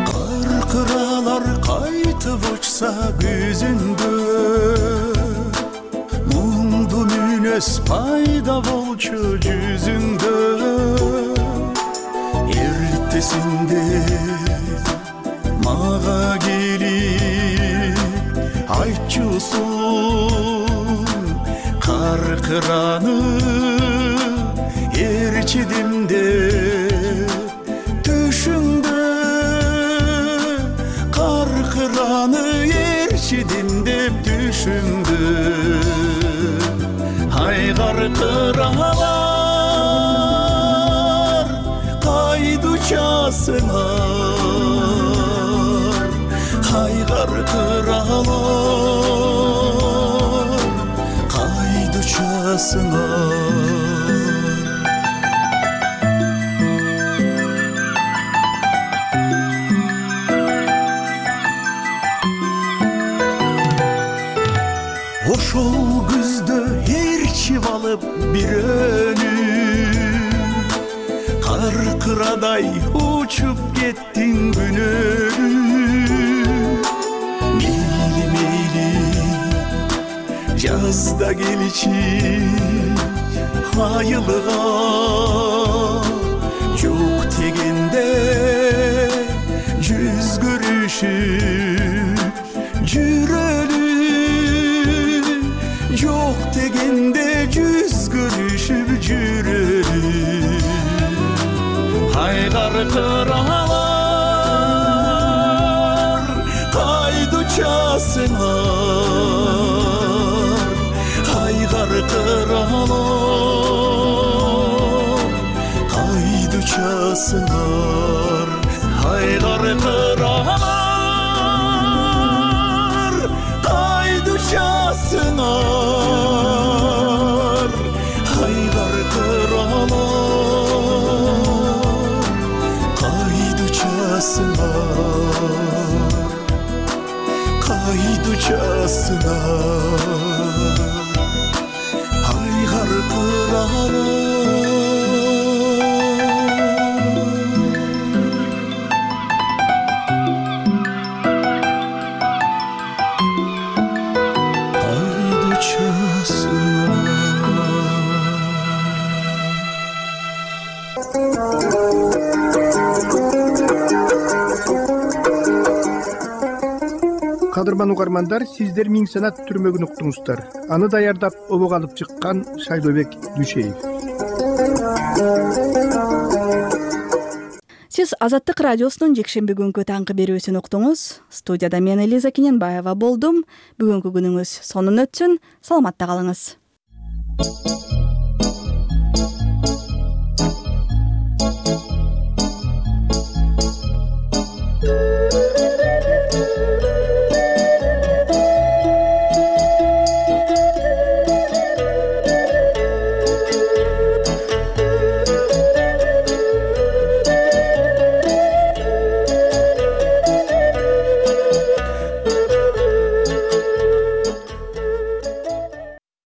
кар кыралар кайтып учса күзүндө пайда болчу жүзүңдө эртесинде мага келип айтчусуң каркыраны ээрчидим деп түшүңдө каркыраны ээрчидим деп түшүңдө айгар кыралар кайда учасыңар айгар кыралар кайда учасыңар ошол күздө алып бирөөнү каркырадай учуп кеттиң күнөөнү мейли мейли жазда келчи айылга жок дегенде жүз көрүшүп жүрөлү жок дегенде жүз көрүшүп жүрөлү айгар кыралар кайда учасыңар айгар кыралар кайда учасыңар айгар кыралар кайда учасыңар айгар кыралар кайда учасыңар кайда учасыңар айгар кыралар кадырман угармандар, сиздер Миң санат түрмөгүн уктуңуздар. Аны даярдап обого алып чыккан Шайлообек Дүйшеев. Сиз Азаттык радиосунун жекшемби күнгү таңкы берүүсүн уктуңуз. Студияда мен Элиза Кененбаева болдум. Бүгүнкү күнүңүз сонун өтсүн. Саламатта калыңыз.